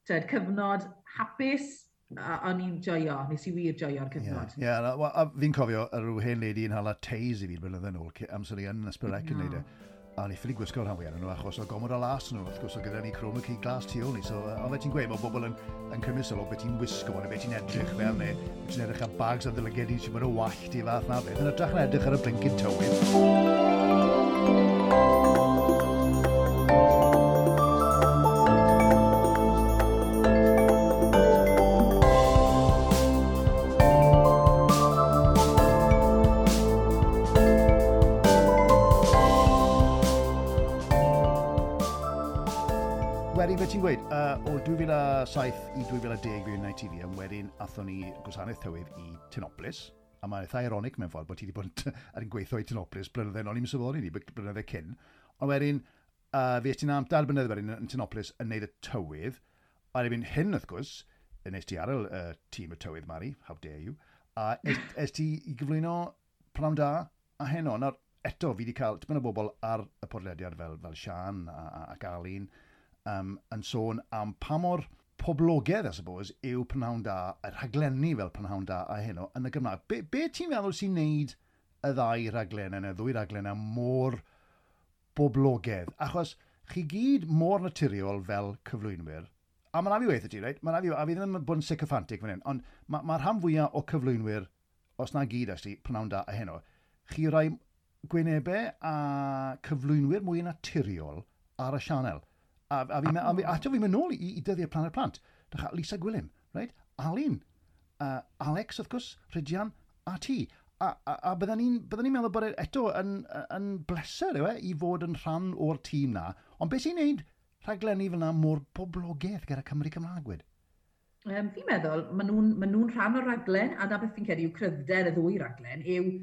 Tyd, cyfnod hapus, a o'n i'n joio, nes i wir joio'r cyfnod. Ie, yeah, a fi'n cofio rhyw hen lady yn hala teis i fi blynyddoedd yn ôl, amser i yn Ysbrydec yn neud e. A ni ffili gwisgo'r rhan fwyaf nhw achos o gomod o las nhw, wrth gwrs o gyda ni chroma key glas tu ôl ni. So, ond fe ti'n gweud, mae bobl yn cymryd sylw beth ti'n wisgo neu beth ti'n edrych fel, neu beth ti'n edrych ar bags a ddylygedi sy'n mynd o wallt i fath na beth. Yn hytrach na edrych ar y blincyn tywydd. Ti'n gweud, o 2007 i 2010 fi yn ITV, a wedyn athon ni gwasanaeth tywydd i Tinopolis, a mae'n eitha ironic mewn ffordd bod ti wedi bod ar yn gweithio i Tinopolis blynydde, o'n i'n sylweddoli ni, blynydde cyn, ond wedyn, fi es ti'n am 2 blynedd wedyn yn Tinopolis yn neud y tywydd, a erbyn hyn, wrth gwrs, nes ti ar y tîm y tywydd, Mari, how dare you, a es ti i gyflwyno Pnawn Da a heno, nawr, eto, fi wedi cael tipyn o bobl ar y podlediad fel Sian ac Alun yn sôn am pa mor poblogaidd, I suppose, yw Prynhawn Da, y rhaglenni fel Prynhawn Da a Heno yn y Gymraeg. Be ti'n meddwl sy'n neud y ddau raglen yna, y ddwy raglen yna mor boblogaidd? Achos chi gyd mor naturiol fel cyflwynwyr, a mae'n rhaid fi weithio ti, reit? Mae'n rhaid fi, a fi ddim yn bod yn sycophantic fan hyn, ond ma rhan fwyaf o cyflwynwyr, os na gyd, actually, Prynhawn Da a Heno, chi rai gwynebau a cyflwynwyr mwy naturiol ar y sianel. A fi'n mynd nôl i dyddiau Planet Plant. Dych, Lisa Gwilym, right? Alun, Alex, wrth gwrs, Rhydian, a ti. A bydden ni'n meddwl bod e eto yn bleser yw e, i fod yn rhan o'r tîm na. Ond beth sy'n neud rhaglenni fel yna mor boblogaidd gyda Cymru Cymraeg wed? Fi'n meddwl, ma nhw rhan o'r raglen, a na beth fi'n credu yw cryfder y ddwy raglen, yw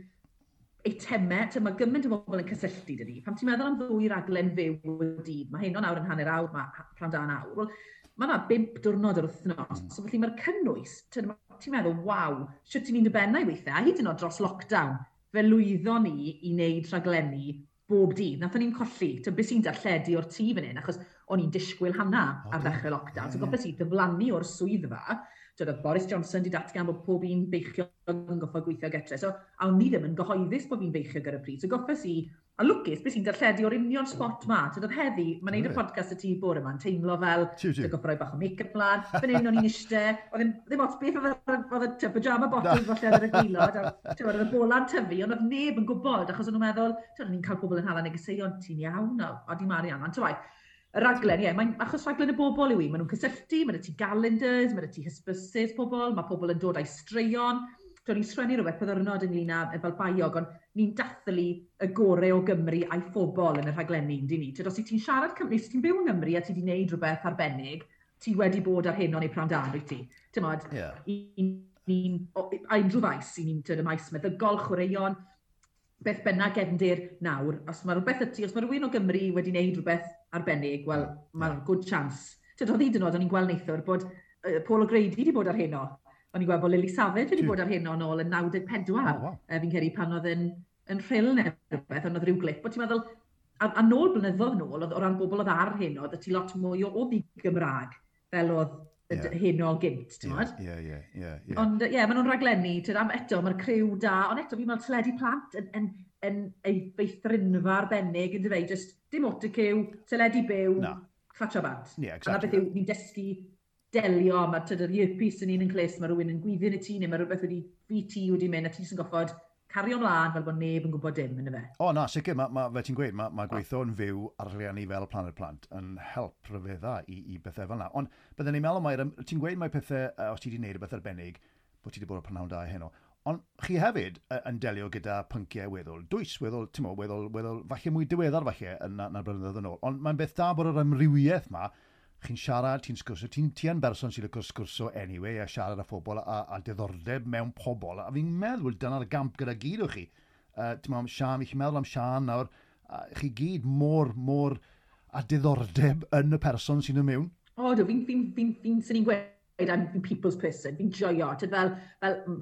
eitemau, ti'n mae gymaint o bobl yn cysylltu dydy. Pan ti'n meddwl am ddwy raglen fyw y dydd, mae Heno nawr yn hanner awr, mae Prynhawn Da'n awr. Wel, mae yna 5 diwrnod yr wythnos. So felly mae'r cynnwys, ti'n meddwl, waw, sut ti'n un dy bennau weithiau, a hyd yn oed dros lockdown, fe lwyddon ni i wneud rhaglenni bob dydd. Nathon ni'n colli, ti'n beth sy'n darlledu o'r tŷ fan hyn, achos o'n i'n disgwyl Hana ar ddechrau lockdown. So goffes i ddiflannu o'r swyddfa. Twyd, oedd Boris Johnson wedi datgan bod pob un beichiog yn goffo gweithio getre. So, a o'n ni ddim yn gyhoeddus bod fi'n beichiog ar y pryd. So goffes i, a lwcus, beth sy'n darlledu o'r union spot ma. Twyd, oedd heddi, mae'n neud y podcast y tŷ bore yma'n teimlo fel, dwi'n goffo rhoi bach o make-up mlaen. Fan hyn o'n i'n eistedd, oedd ddim ots beth oedd y pyjama bottoms falle ar y gwaelod, a ti'n oedd y bola'n tyfu, ond oedd neb yn gwybod, achos o'n nhw'n meddwl, ti'n o'n i'n cael pobl yn hala negeseuon, "Ti'n iawn?" O, di Marian, ond ti'n y raglen, ie, mae'n achos raglen y bobl yw i. Maen nhw'n cysylltu, mae ti calendars, mae ti hysbysus pobl, mae pobl yn dod â'i straeon. Do'n i'n sgwennu rhywbeth byddwrnod ynglyn â fel baiog, ond ni'n dathlu y gorau o Gymru a'i phobl yn y rhaglenni, yndyn ni? Tyd, os ti'n siarad Cymru, os ti'n byw yng Nghymru a ti wedi gwneud rhywbeth arbennig, ti wedi bod ar Heno neu Prynhawn Da, rwyt ti? Ti'n modd, ni'n, a unrhyw faes, i ni'n y maes meddygol, chwaraeon, beth bynnag gefndir nawr, os mae rhywbeth y ti, os mae rhywun o Gymru wedi gwneud rhywbeth arbennig, wel, mae'n good chance. Tyd, oedd hyd yn oed, o'n i'n gweld neithwr bod Paul O'Grady wedi bod ar Heno. O'n i'n gweld bod Lily Savage wedi bod ar Heno nôl yn 94. Oh, wow. Fi'n credu pan oedd yn Rhyl neu rhywbeth, ond oedd rhyw glip. Bod ti'n meddwl, a nôl blynyddoedd nôl, oedd, o ran bobl oedd ar Heno, oedd ti lot mwy o ddi-Gymraeg, fel oedd Heno gynt, ti'n gwybod? Ie. Ond ie, maen nhw'n raglenni, tyd, am eto, mae'r criw da, ond eto, fi'n meddwl teledu plant yn ei feithrinfa arbennig, yn dyfe, just dim autocue, teledu byw, Na. clatsio bant. Ie, A na exactly. beth yw, ni'n dysgu delio, mae tyd, yr earpiece yn un yn clust, mae rhywun yn gweiddi yn y tŷ, neu mae rhywbeth wedi, VT wedi mynd, a ti jyst yn goffod cario ymlaen fel bod neb yn gwybod dim, yn y fe. O na, sicr, ma, fel ti'n gweud, ma gweithio yn fyw ar rhiannu fel Planet Plant yn help rhyfedda i bethau fel yna. Ond byddwn ni'n meddwl mai, ti'n gweud mai pethau, os ti wedi gwneud rhywbeth arbennig, bod ti wedi bod o Prynhawn Da Heno. Ond chi hefyd yn delio gyda pynciau weddol dwys, weddol, ti'n mo, weddol, falle mwy diweddar falle yn na blynyddoedd yn ôl. Ond mae'n beth da bod yr amrywiaeth ma, chi'n siarad, ti'n sgwrsio, ti yn berson sy'n licio sgwrsio anyway, a siarad â phobl a diddordeb mewn pobl. A fi'n meddwl dyna'r gamp gyda gyd o chi. Ti'n meddwl am Sian, fi'n meddwl am Sian nawr, chi gyd mor a diddordeb yn y person sy'n ymwneud. O, do, fi'n, sy'n ni'n gweud, I'm fi'n people's person, fi'n joio, tyd fel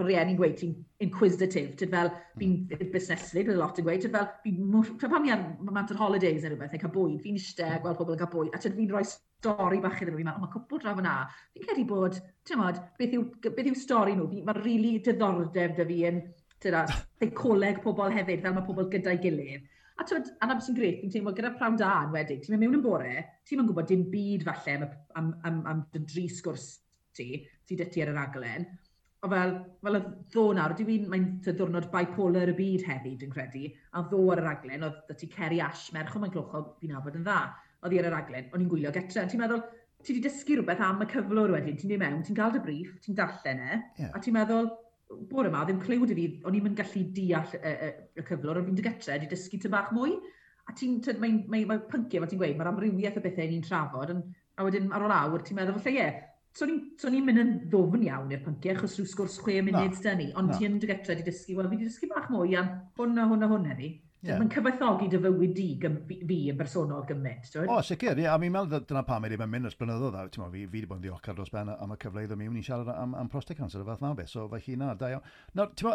rieni'n gweud, ti'n inquisitive, tyd fel, fi'n busneslyd, bydd lot yn gweud, tyd fel, fi'n, tyd pan ni ar mant ar holidays neu rhywbeth, neu cael bwyd, fi'n eistedd, gweld pobl yn cael bwyd, a tyd fi'n rhoi stori bach iddyn nhw, fi'n meddwl, "O, mae cwpl draw fyna, fi'n credu bod, ti'n modd, beth yw stori nhw, mae'n really diddordeb 'da fi yn, tyd, a seicoleg pobl hefyd, fel mae pobl gyda'i gilydd. A twyd, a na beth sy'n grêt, fi'n teimlo gyda Prynhawn Da yn wedyn, ti'n mynd mewn yn bore, ti'n mynd gwybod dim byd falle am dy dri sgwrs ti, sydd dy ti ar y raglen. O fel y ddo nawr, dwi'n mae'n diwrnod bipolar y byd heddi, dwi'n credu, a ddo ar y raglen, oedd 'da ti Kerry Ash, merch o Maenclochog, fi'n nabod yn dda, oedd hi ar y raglen, o'n i'n gwylio getre. Ti'n meddwl, ti wedi dysgu rhywbeth am y cyflwr wedyn, ti'n mynd mewn, ti'n cael dy briff, ti'n darllen e, a ti'n meddwl, bore yma, ddim cliw 'da fi, o'n i'n mynd gallu deall y cyflwr, ond fi'n dy getre, wedi dysgu ty bach mwy. A ti'n, mae'n mae pynciau, fel ti'n gweud, mae'r amrywiaeth o bethau ni'n trafod, a wedyn ar ôl awr, ti'n meddwl, falle ie, so ni'n mynd yn ddofn iawn i'r pynciau, achos rhyw sgwrs 6 munud da ni, ond ti yn dy getre wedi dysgu, wel, fi wedi dysgu bach mwy am hwn a hwn a hwn heddi. Mae'n cyfoethogi dy fywyd di, fi yn bersonol gymaint, ti'n O, sicr, ie, a fi'n meddwl dyna pam i ddim yn mynd ers blynyddoedd, a ti'n fi wedi bod yn ddiolchgar dros ben am y cyfle i ddod mewn i siarad am prostate cancer y fath na o beth, so felly na, da iawn. Nawr, ti'n mo,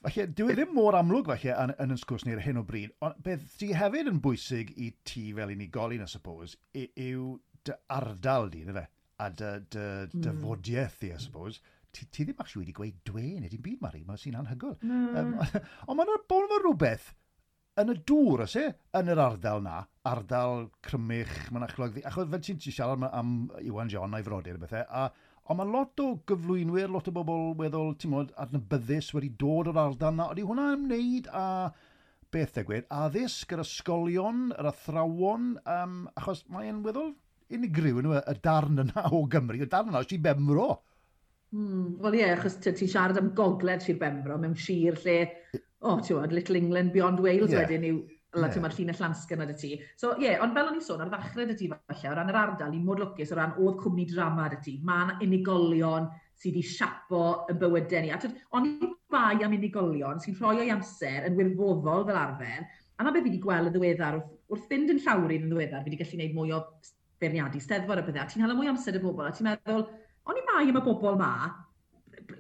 Falle, dyw e ddim mor amlwg falle yn yn sgwrs ni ar hyn o bryd, ond beth sydd hefyd yn bwysig i ti fel unigolyn, I suppose, yw dy ardal di, na fe? A dy fodiaeth di, I suppose. Ti ddim actually wedi gweud "dwe" neu dim byd, Mari, mae'n sy'n anhygoel. Ond mae'n bod yma rhywbeth yn y dŵr, oes e? Yn yr ardal na, ardal Crymych, Mynachlog, achos fel ti'n siarad am Iwan John a'i frodyr a bethau, ond mae lot o gyflwynwyr, lot o bobl weddol, ti'n modd, adnabyddus wedi dod o'r ardal na. Ydy hwnna ymwneud â beth ddigwydd? Addysg, yr ysgolion, yr athrawon, achos mae'n weddol unigryw, yn y darn yna o Gymru, y darn yna o Sir Benfro. Wel ie, yeah, achos ti'n siarad am gogledd Sir Benfro mewn sir lle, oh, ti'n gwybod, Little England beyond Wales wedyn yw, yeah. Mae'r llinell landsgan 'da ti. So ie, yeah, ond fel o'n i'n sôn, ar ddechrau 'da ti falle, o ran yr ardal, ni'n mor lwcus o ran oedd cwmni drama 'da ti. Mae yna unigolion sydd wedi siapo y bywydau ni. A twyd, o'n i bai am unigolion sy'n rhoi o'i amser yn wirfoddol fel arfer, a na beth fi wedi gweld yn ddiweddar, wrth fynd yn llawrydd yn ddiweddar, fi wedi gallu gwneud mwy o beirniadu steddfod a pethau, a ti'n cael mwy o amser y bobl, a ti'n meddwl, o'n i bai am y bobl ma,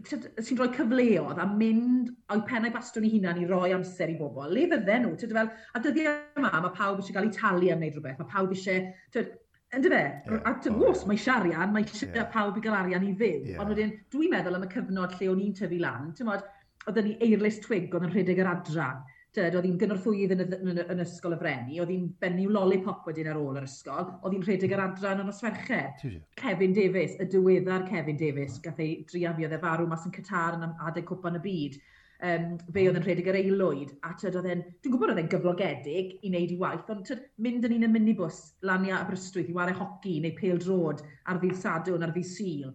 sy'n rhoi cyfleoedd a mynd o'i pennau bastwn i hunan i roi amser i bobl. Le fydden nhw? Tyd, fel, a dyddiau yma, mae pawb eisiau cael eu talu am wneud rhywbeth. Mae pawb eisiau... Tyd, yn dyfe? Yeah. A tyd, oh, mae eisiau arian, mae eisiau pawb i gael arian i fyw. Ond wedyn, dwi'n meddwl am y cyfnod lle o'n i'n tyfu lan, ti'n modd, oedden ni Eirlys Twig oedd yn rhedeg yr adran. Tyd, oedd hi'n gynorthwyydd yn ysgol y Frenni, oedd hi'n fenyw lollipop wedyn ar ôl yr ysgol, oedd hi'n rhedeg yr adran yn nos Fercher. Kevin Davies, y diweddar Kevin Davies, gath ei druan fi, oedd e farw mas yn Qatar yn adeg Cwpan y Byd. Fe oedd yn rhedeg yr aelwyd, a tyd, oedd e'n, dwi'n gwybod oedd e'n gyflogedig i wneud i waith, ond tyd, mynd yn un y minibus lan i Aberystwyth i wario hoci neu pêl-droed ar ddydd Sadwrn, ar ddydd Sul.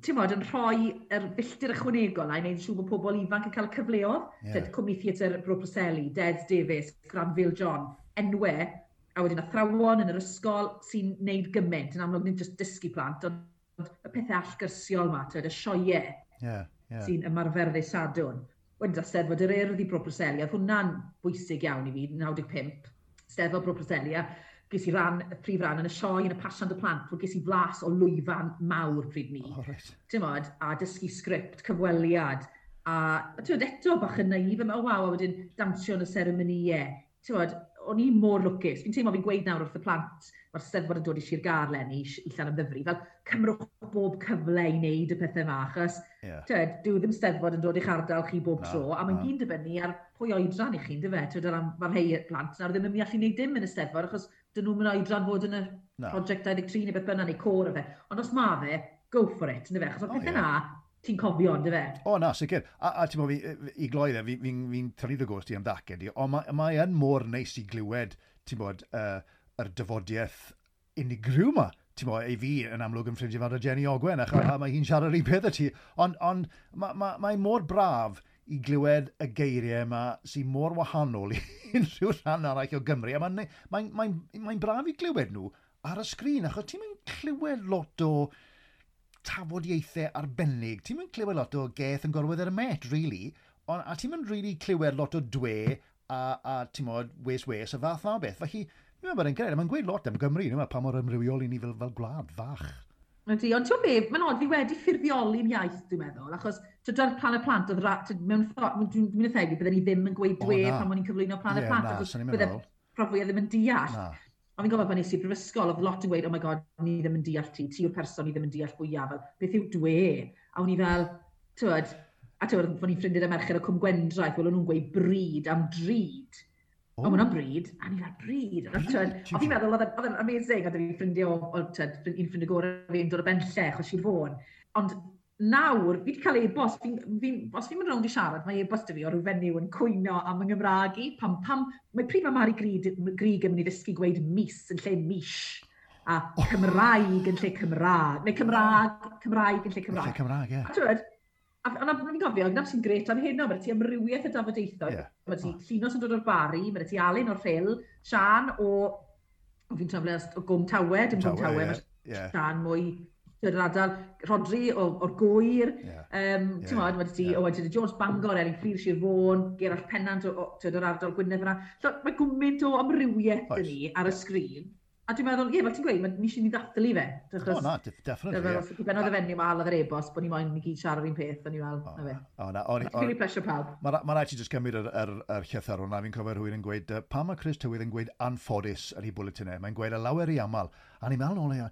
Ti'n modd, yn rhoi yr filltir ychwanegol na i wneud yn siŵr bod pobl ifanc yn cael y cyfleoedd. Yeah. Cwmni Theatr Bro Preseli, Des Davies, Granville John, enwau, a wedyn athrawon yn yr ysgol sy'n neud gymaint, yn amlwg nid jyst dysgu plant, ond y pethau allgyrsiol ma, tyd, y sioeau sy'n ymarfer ddydd Sadwrn. Wedyn da Steddfod yr Urdd i Bro Preseli, oedd hwnna'n bwysig iawn i fi, 95, Steddfod Bro Preseli, a ges i ran, y prif ran yn y sioe yn y Pasiant y Plant, wel ges i flas o lwyfan mawr pryd ni. Oh, right. Ti'n modd, a dysgu sgript, cyfweliad, a ti'n modd, eto bach yn naif, oh waw, a wedyn dawnsio yn y seremonïau. Ti'n modd, o'n i mor lwcus. Fi'n teimlo fi'n gweud nawr wrth y plant, mae'r Steddfod yn dod i Sir Gâr leni, i Llanymddyfri, fel cymrwch bob cyfle i wneud y pethau yma, achos tyd, dyw ddim Steddfod yn dod i'ch ardal chi bob tro, a mae'n gyn dibynnu ar pwy oedran i chi, yndyfe? Tyd, mae rhai plant nawr ddim yn mynd i allu wneud dim yn y Steddfod, achos dyn nhw'n mynd oedran fod yn y Na. Project 23 neu beth bynnag, neu côr o fe. Ond os ma fe, go for it, yndyfe? Achos o'r pethau na, ti'n cofio, yndyfe? O, na, sicr. A ti'n bod, fi, i gloi dde, fi tynnu dy goes di am ddacen di, ond mae yn mor neis i glywed, ti'n bod, yr dyfodiaeth unigryw ma. Ti'n bod, i fi yn amlwg yn ffrindiau fawr â Jenny Ogwen, a mae hi'n siarad yr un peth â ti. Ond mae ma, mae mor braf i glywed y geiriau yma sy'n mor wahanol i unrhyw rhan arall o Gymru. A mae braf i glywed nhw ar y sgrin, achos ti'n mynd clywed lot o tafodieithau arbennig. Ti'n mynd clywed lot o geth yn gorwedd ar y met, really. Ond, a ti'n mynd really clywed lot o "dwe" a ti'n modd, "wes wes" a fath na o beth. Felly, fi'n meddwl bod e'n grêt. Mae'n gweud lot am Gymru, no, pa mor amrywiol i ni fel gwlad fach. Ydy, ond ti'n be, mae'n od, fi wedi ffurfioli'n iaith, dwi'n meddwl, achos dyda'r Plan y Plant, oedd mewn ffordd, dwi'n mynd bydden ni ddim yn gweud O, "dwe" na. pan o'n i'n cyflwyno Plan y Ie, Plant, na, achos swn i'n bydde meddwl. rhan fwyaf ddim yn deall. Na. Ond fi'n gofio pan nes i'r brifysgol, oedd lot yn gweud, "Oh my God, ni ddim yn deall ti, ti yw'r person ni ddim yn deall fwyaf, fel, beth yw dwe?" A o'n i fel, tywed, a tywed, o'n i'n ffrindiau â merched o Cwm Gwendraeth, wel o'n nhw'n gweud "bryd" am drud. O. O, hwnna'n bryd. A ni fel, "Bryd." A tywed, Bryd, a fi'n meddwl, oedd e'n amazing, a dyn ni'n ffrindiau o tywed, un ffrindiau gorau fi'n dod o Benllech, o Sir Fôn. Ond nawr, fi wedi cael e-bost, os fi'n mynd rownd i siarad, mae e-bost 'da fi o ryw fenyw yn cwyno am yng Nghymraeg i. Mae pryd mae Mari Grug yn mynd i ddysgu gweud "mis" yn lle "mish", a "Cymraeg" yn lle "Cymraeg", neu "Cymraeg", "Cymraeg" yn lle Lle "Cymraeg". Cymraeg, ie. A tywed, a fi'n gofio, gyda sy'n grêt am hyn o, mae ti amrywiaeth o dafodieithoedd. Mae ti Llinos yn dod o'r Bari, mae ti Alun o'r Rhyl, Sian o fi'n trafod o Gwm Tawe, dim Gwm Tawe, Tawe, ie, mae ie. Sian mwy yr ardal, Rodri o'r Gwyr, ti'n modd, mae ti Owen Tudor Jones, Bangor, Elin Fflur, Sir Fôn, Gerallt Pennant o, tywed, o'r ardal Gwynedd fyna. So, mae gymaint o amrywiaeth Oes. yn ni ar y sgrin. A dwi'n meddwl, ie, fel ti'n gweud, ni eisiau ni ddathlu fe. O, na, definitely. Fel, os benodd y fenyw ma halodd yr e-bost bod ni moyn ni gyd siarad un peth, o'n i fel, na fe. O, na, o'n i... plesio pawb. Mae rhaid ti jyst cymryd yr llythyr hwnna, fi'n cofio rhywun yn gweud, pam mae Chris Tywydd yn gweud anffodus ar ei bwletinau, mae'n gweud y lawer i aml. A ni'n meddwl nôl,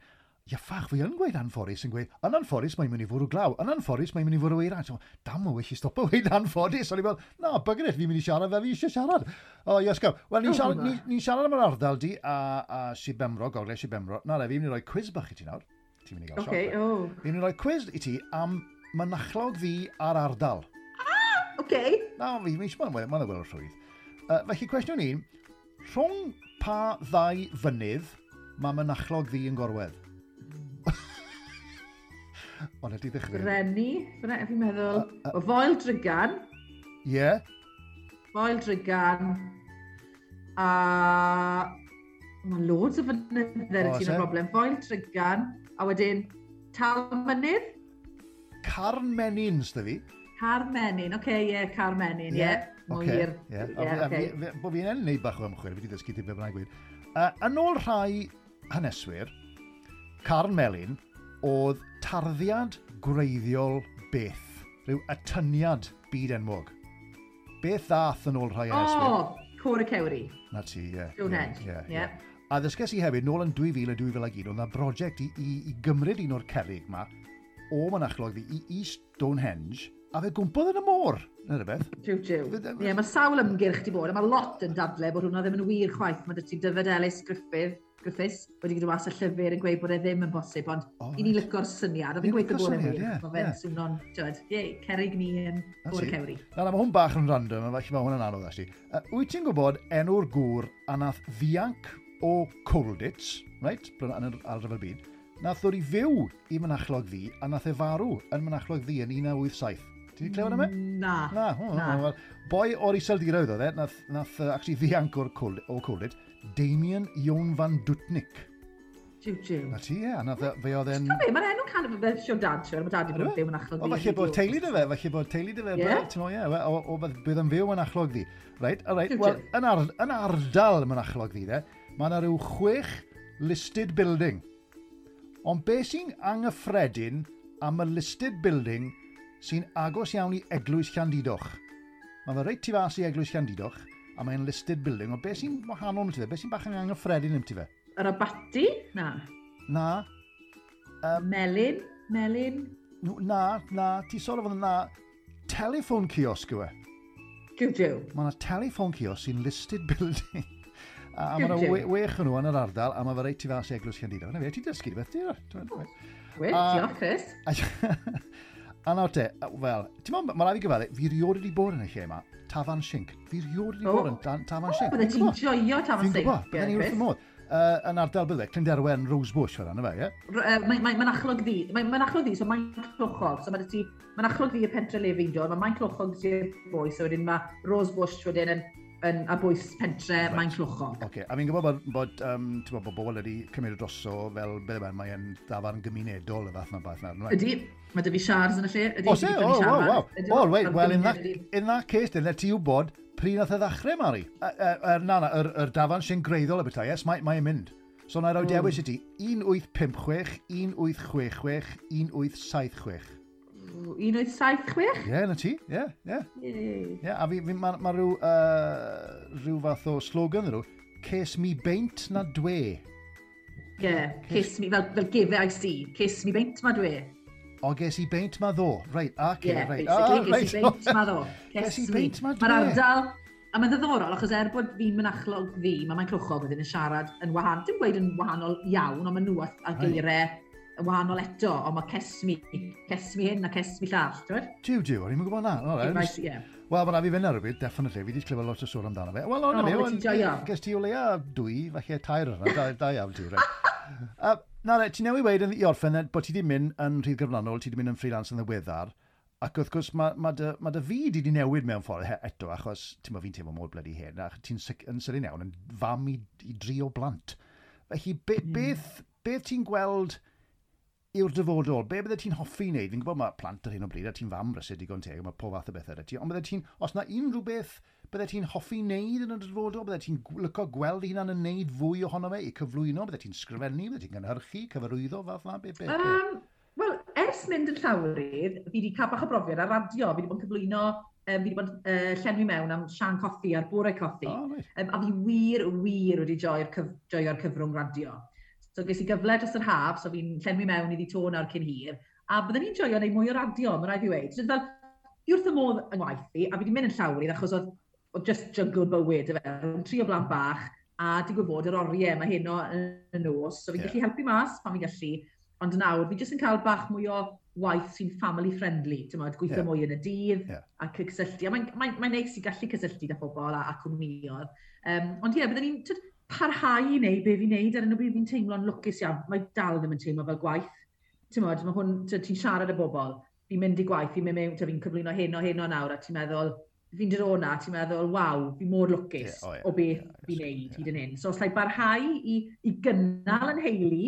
ia ffach, fi yn gweud anffodus, yn gweud, yn anffodus mae'n mynd i fwrw glaw, yn anffodus mae'n mynd i fwrw eira. So, dam o, well i stopo weud anffodus. O'n i'n meddwl, na, bugger it, fi'n mynd i siarad fel fi eisiau siarad. O, yes, go. Wel, ni'n siarad, ni siarad am yr ardal di a Sir Benfro, Gogledd Sir Benfro. Na, le, fi'n mynd i roi quiz bach i ti nawr. Ti'n mynd i gael okay, sioc. Oh. Fi'n mynd i roi quiz i ti am Mynachlog Ddu a'r ardal. Ah, okay. Na, fi'n mynd i mae'n weld rhwydd. Felly, cwestiwn un, rhwng pa ddau fynydd mae Mynachlog Ddu yn gorwedd? Ond ydy ddechrau. Brenni, fi'n meddwl. O Foel Drygan. Ie. Yeah. Foel Drygan. A mae loads o fynydde oh, ti'n y broblem. Foel Drygan. A wedyn Talmynydd. Carmenyn, sda fi. Carmenyn, oce, ie, yeah, Carmenyn, ie. Mwyr. Ie, Bo fi'n enw neud bach o ymchwil, fi wedi dysgu ti be bynnag gweud. Yn ôl rhai haneswyr, Carn Melyn oedd tarddiad gwreiddiol beth, rhyw atyniad byd enwog. Beth ddath yn ôl rhai haneswyr? O, Côr y Cewri. Na ti, ie. Stonehenge, ie. A ddysges i hefyd, nôl yn 2000 a 2001, oedd na brosiect i gymryd un o'r cerrig ma o Mynachlog Ddu i Stonehenge, a fe gwmpodd yn y môr, neu rhywbeth. Jiw, jiw. Ie, mae sawl ymgyrch di bod, a mae lot yn dadle bod hwnna ddim yn wir chwaith. Mae dy ti Dyfed Ellis Griffiths wedi gyda mas y llyfr yn gweud bod e ddim yn bosib, ond i ni lyco'r syniad, a fi'n gweithio bod e'n wir. Mae fe'n swno'n, tywed, ie, cerrig ni yn Côr y Cewri. Na, mae hwn bach yn random, a falle mae hwn yn anodd, actually. Wyt ti'n gwybod enw'r gŵr a nath ddianc o Colditz, right, yn yr Ail Ryfel Byd, nath ddod i fyw i Mynachlog Ddu, a nath e farw yn Mynachlog Ddu yn 1987. Ti wedi clywed am e? Na. Na, wel, boi o'r Iseldiroedd oedd e, nath actually ddianc o'r Colditz, Damien Jon van Dutnik. Jiw, jiw. Na ti, ie, a nath fe oedd e'n... Ti'n mae'r enw can fel Siôn Dad, siwr, mae dad i bod yn byw yn Achlog Ddu. O, falle bod teulu dy fe, falle bod teulu dy fe. Ti'n ie, o bydd yn fyw yn Achlog Ddu. Reit, all right, wel, yn ardal Mynachlog Ddu, de, mae yna rhyw 6 listed building. Ond be sy'n anghyffredin am y listed building sy'n agos iawn i Eglwys Llandudoch? Mae fe reit tu fas i Eglwys Llandudoch, a mae'n listed building, ond be sy'n wahanol am ti fe? Be sy'n bach yn anghyffredin am ti fe? Yr abaty? Na. Na. Melin? Melin? Na, ti sort of na. Telephone kiosk yw e. Jiw, jiw. Mae yna telephone kiosk sy'n listed building. A mae yna wech yn nhw yn yr ardal, a mae fe reit tu fas i Eglwys Llandudoch. Na fe, ti'n dysgu rhywbeth, ti'n? Wel, diolch, Chris. A nawr te, wel, ti'n meddwl, mae rhaid i gyfadde, fi rioed wedi bod yn y lle yma, Tafarn Sinc. Fi rioed wedi bod yn Tafarn Sinc. Bydde ti'n joio Tafarn Sinc. Fi'n gwybod, bydde ni wrth y modd. Yn ardal bydde, Clunderwen, Rosebush, fel yna fe, ie? Mae'n Mynachlog Ddu, mae'n Mynachlog Ddu, so mae'n Clochog. So mae ti, Mynachlog Ddu y pentre le fi'n dod, mae Mae'n Clochog di'r bwys, so wedyn mae Rosebush wedyn yn a bwys pentre, right. Mae'n Clochog. Oce, okay. A fi'n gwybod bod bobl wedi cymryd droso fel, beth yma, mae'n dafarn gymunedol y fath na bath na. Ydy, mae dy fi siars yn y lle. Ydy, o, se? O, wow, wow. Oh, wait, well, in that case, then, let ti wybod pryd nath e ddechrau, Mari. Na, yr dafarn sy'n greiddiol y bethau, yes, mae'n mynd. So, na i roi dewis i ti, 1856, 1866, 1876. 1876? Ie, na ti, ie, ie. Ie, a fi, mae rhyw fath o slogan nhw, Ces mi beint na dwe. Ie, ces mi, fel give I see, ces mi beint ma dwe. O, ges i beint ma ddo. Reit, oce, reit. Ie, basically, ges i beint ma ddo. Ges i beint ma dwe. Mae'r ardal, a mae'n ddiddorol, achos er bod fi'n Mynachlog Ddu, mae Mae'n Clochog wedyn yn siarad yn wahanol, dim gweud yn wahanol iawn, ond maen nhw a geiriau yn wahanol eto, ond mae cesmi hyn a cesmi llall, ti'n gwybod? Jiw, jiw, o'n i'n gwybod na. Wel, mae rhaid fi fynd ar rhywbeth, definitely. Fi wedi clywed lot o sôn amdano fe. Wel, o'n i, ges ti o leia 2, falle 3 yna, da iawn ti, reit. Na, ti newydd weud i orffen bod ti wedi mynd yn rhydd gyflannol, ti wedi mynd yn freelance yn ddiweddar, ac wrth gwrs mae dy fyd i wedi newid mewn ffordd eto, achos ti'n fi'n teimlo mor bloody hen, a ti'n yn sydyn iawn yn fam i 3 o blant. Felly, beth ti'n gweld yw'r dyfodol? Be bydde ti'n hoffi wneud? Fi'n gwybod mae plant ar hyn o bryd, a ti'n fam brysur digon teg, mae pob fath o bethau 'da ti, ond bydde ti'n, os na unrhyw beth bydde ti'n hoffi wneud yn y dyfodol? Bydde ti'n lyco gweld hunan yn wneud fwy ohono fe i cyflwyno? Bydde ti'n sgrifennu? Bydde ti'n gynhyrchu, cyfarwyddo, fath na? Be? Wel, ers mynd yn llawrydd, fi wedi cael bach o brofiad ar radio. Fi wedi bod yn cyflwyno, fi wedi bod yn llenwi mewn am Sian Cothi a'r Bore Cothi. Oh, right. A fi wir, wir wedi joio'r cyf joio cyfrwng radio. So ges i gyfle dros yr haf, so fi'n llenwi mewn iddi to nawr cyn hir. A byddwn ni'n joio wneud mwy o radio, mae rhaid fi weud. So, fel, fi wrth y modd yng ngwaith fi, a fi wedi mynd yn llawrydd achos oedd just juggle bywyd, efe, rhwng tri o blant bach, a digwydd bod yr oriau mae heno yn y nos, so fi'n gallu helpu mas pan fi'n gallu, ond nawr fi jyst yn cael bach mwy o waith sy'n family friendly, ti'n modd, gweithio mwy yn y dydd a cysylltu. A mae'n neis i gallu cysylltu â phobl a cwmnïoedd. Ond ie, byddwn ni'n parhau i wneud be fi'n neud ar hyn o bryd, fi'n teimlo'n lwcus iawn. Mae dal ddim yn teimlo fel gwaith. Ti'n modd, mae hwn, ti'n siarad â bobl, fi'n mynd i gwaith, fi'n mynd mewn, fi'n cyflwyno hyn o hyn o nawr, a ti'n meddwl, fi'n dod o na, ti'n meddwl, waw, fi mor lwcus o beth fi'n neud hyd yn hyn. So os lai barhau i gynnal yn heili,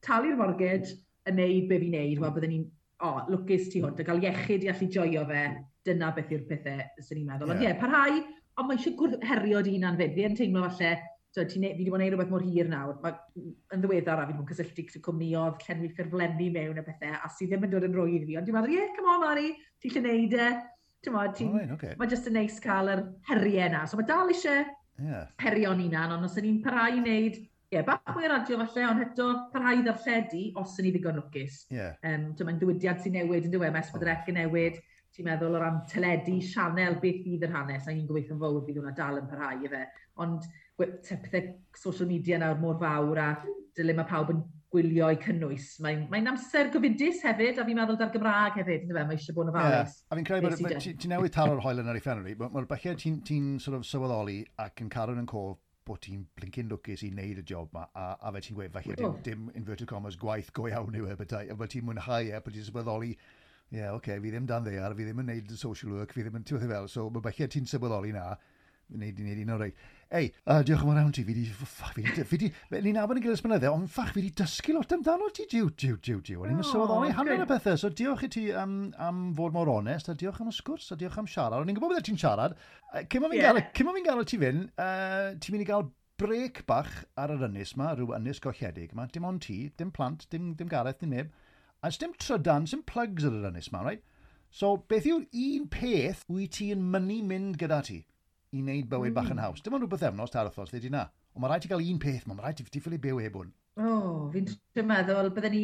talu'r mortgage, yn neud be fi'n neud, wel, byddwn ni'n, oh, lwcus tu hwnt, a gael iechyd i allu joio fe, dyna beth yw'r pethau sy'n ni'n meddwl. Ond ie, parhau, ond mae eisiau herio dy hunan fyd. Fi yn teimlo falle, so, fi wedi bod yn gwneud rhywbeth mor hir nawr. Mae, yn ddiweddar, a fi wedi bod yn cysylltu gyda cwmnïoedd, llenwi ffurflenni mewn a pethau, a sydd ddim yn dod yn rwydd fi. Ond dwi'n meddwl, yeah, come on, Mari, ti'n lle neud e. Ti'n modd, oh, right, okay. Mae jyst yn neis cael yr heriau na. So mae dal eisiau herio'n hunan, ond os ydyn ni'n parhau i wneud, ie, bach mwy o radio falle, ond eto parhau i ddarlledu os ydyn ni ddigon lwcus. Mae'n diwydiant sy'n newid yn dywe, mae S4C yn newid, ti'n meddwl o ran teledu, sianel, beth fydd yr hanes, a ni'n gobeithio'n fawr fydd hwnna dal yn parhau efe. Ond pethau social media nawr mor fawr a dyle mae pawb yn gwylio eu cynnwys. Mae'n amser gofidus hefyd, a fi'n meddwl da'r Gymraeg hefyd, yndyfe, mae eisiau bod yn ofalus. Yeah. A fi'n credu bod ti newydd taro'r hoelen ar ei phen, mae'r bachau ti'n sort of sylweddoli ac yn cadw yn cof bod ti'n blincyn lwcus i wneud y job ma, a fe ti'n gweud, falle dim inverted commas gwaith go iawn yw e, bethau, a bod ti'n mwynhau e, bod ti'n sylweddoli, ie, yeah, oce, okay, fi ddim dan ddear, fi ddim yn wneud social work, fi ddim yn, ti'n fel, so mae bachau ti'n sylweddoli na, wneud un o'r reit. Ei, diolch yn fawr iawn ti, fi di, ffach, fi di, ni'n nabod yn gilydd ers blynydde, ond ffach, fi di dysgu lot amdano ti, jiw, jiw, jiw, jiw. O'n i'n sylweddoli hanner y pethau, so diolch i ti am fod mor onest, a diolch am y sgwrs, a diolch am siarad. O'n i'n gwybod bydde ti'n siarad. Cyn ma fi'n gael ti fynd, ti'n mynd i gael brec bach ar yr ynys ma, rhyw ynys golledig ma, dim ond ti, dim plant, dim Gareth, dim neb. A dim trydan, dim plugs ar yr ynys ma, right? So, beth yw'r un peth wyt ti'n mynnu mynd gyda ti i wneud bywyd bach yn haws? Dim ond rhywbeth efnos, tair wythnos, lle di na. Ond mae rhaid ti gael un peth, mae rhaid ti ffili byw heb hwn. O, oh, fi'n trio meddwl, bydden ni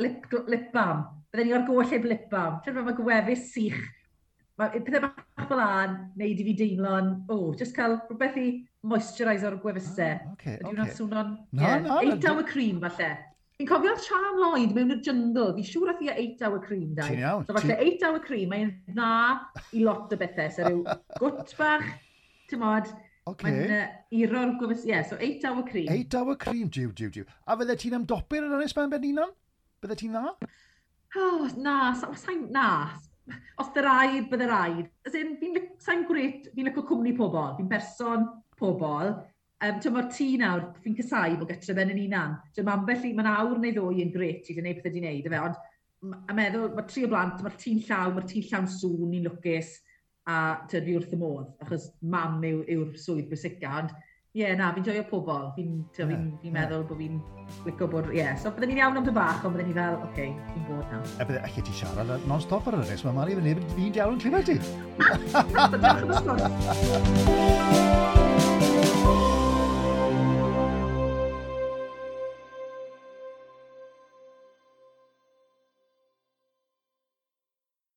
lip balm. Bydden ni o'r goll heb lip balm. Ti'n meddwl, mae gwefus sych. Mae pethau bach fel an, neud i fi deimlo'n, oh, just cael rhywbeth i moisturiser o'r gwefusau. Oh, okay, Ydy hwnna'n swnio'n... Na, na. 8 hour cream, falle. Fi'n cofio Sian Lloyd mewn y jungle. Fi'n siŵr ath i 8 hour cream, dau. Ti'n iawn. So falle 8 hour cream, mae'n dda i lot o bethau. So rhyw gwt bach, ti'n mod, mae'n iro'r gwefus... Yeah, so 8 hour cream. 8 hour cream, jiw, jiw, jiw. A fydde ti'n ymdopi'r yn ynys ben hunan? Bydde ti'n dda? Oh, na, sa'n, na. Os dy raid, bydde raid. As in, fi'n sa'n gret, fi'n licio cwmni pobl. Fi'n berson pobl. Ti'n mae'r tŷ nawr, fi'n casau bod gytre ben yn unan. Ti'n mae ambell i, mae'n awr neu ddwy yn gret i wneud pethau di wneud, efe, ond a meddwl, mae tri o blant, mae'r tŷ'n llawn, mae'r tŷ'n llawn sŵn, ni'n lwcus, a ti'n fi wrth y modd, achos mam yw'r swydd bwysica, ond ie, yeah, na, fi'n joio pobl, fi'n yeah, fi meddwl bod fi'n licio bod, ie, yeah. So bydden ni'n iawn am dy bach, ond bydden ni fel, oce, okay, fi'n bod nawr. E bydde, allu ti siarad non-stop ar yr ynys, mae Mari, fi'n neb fi'n diawl yn clywed ti. Diolch am y sgwrs.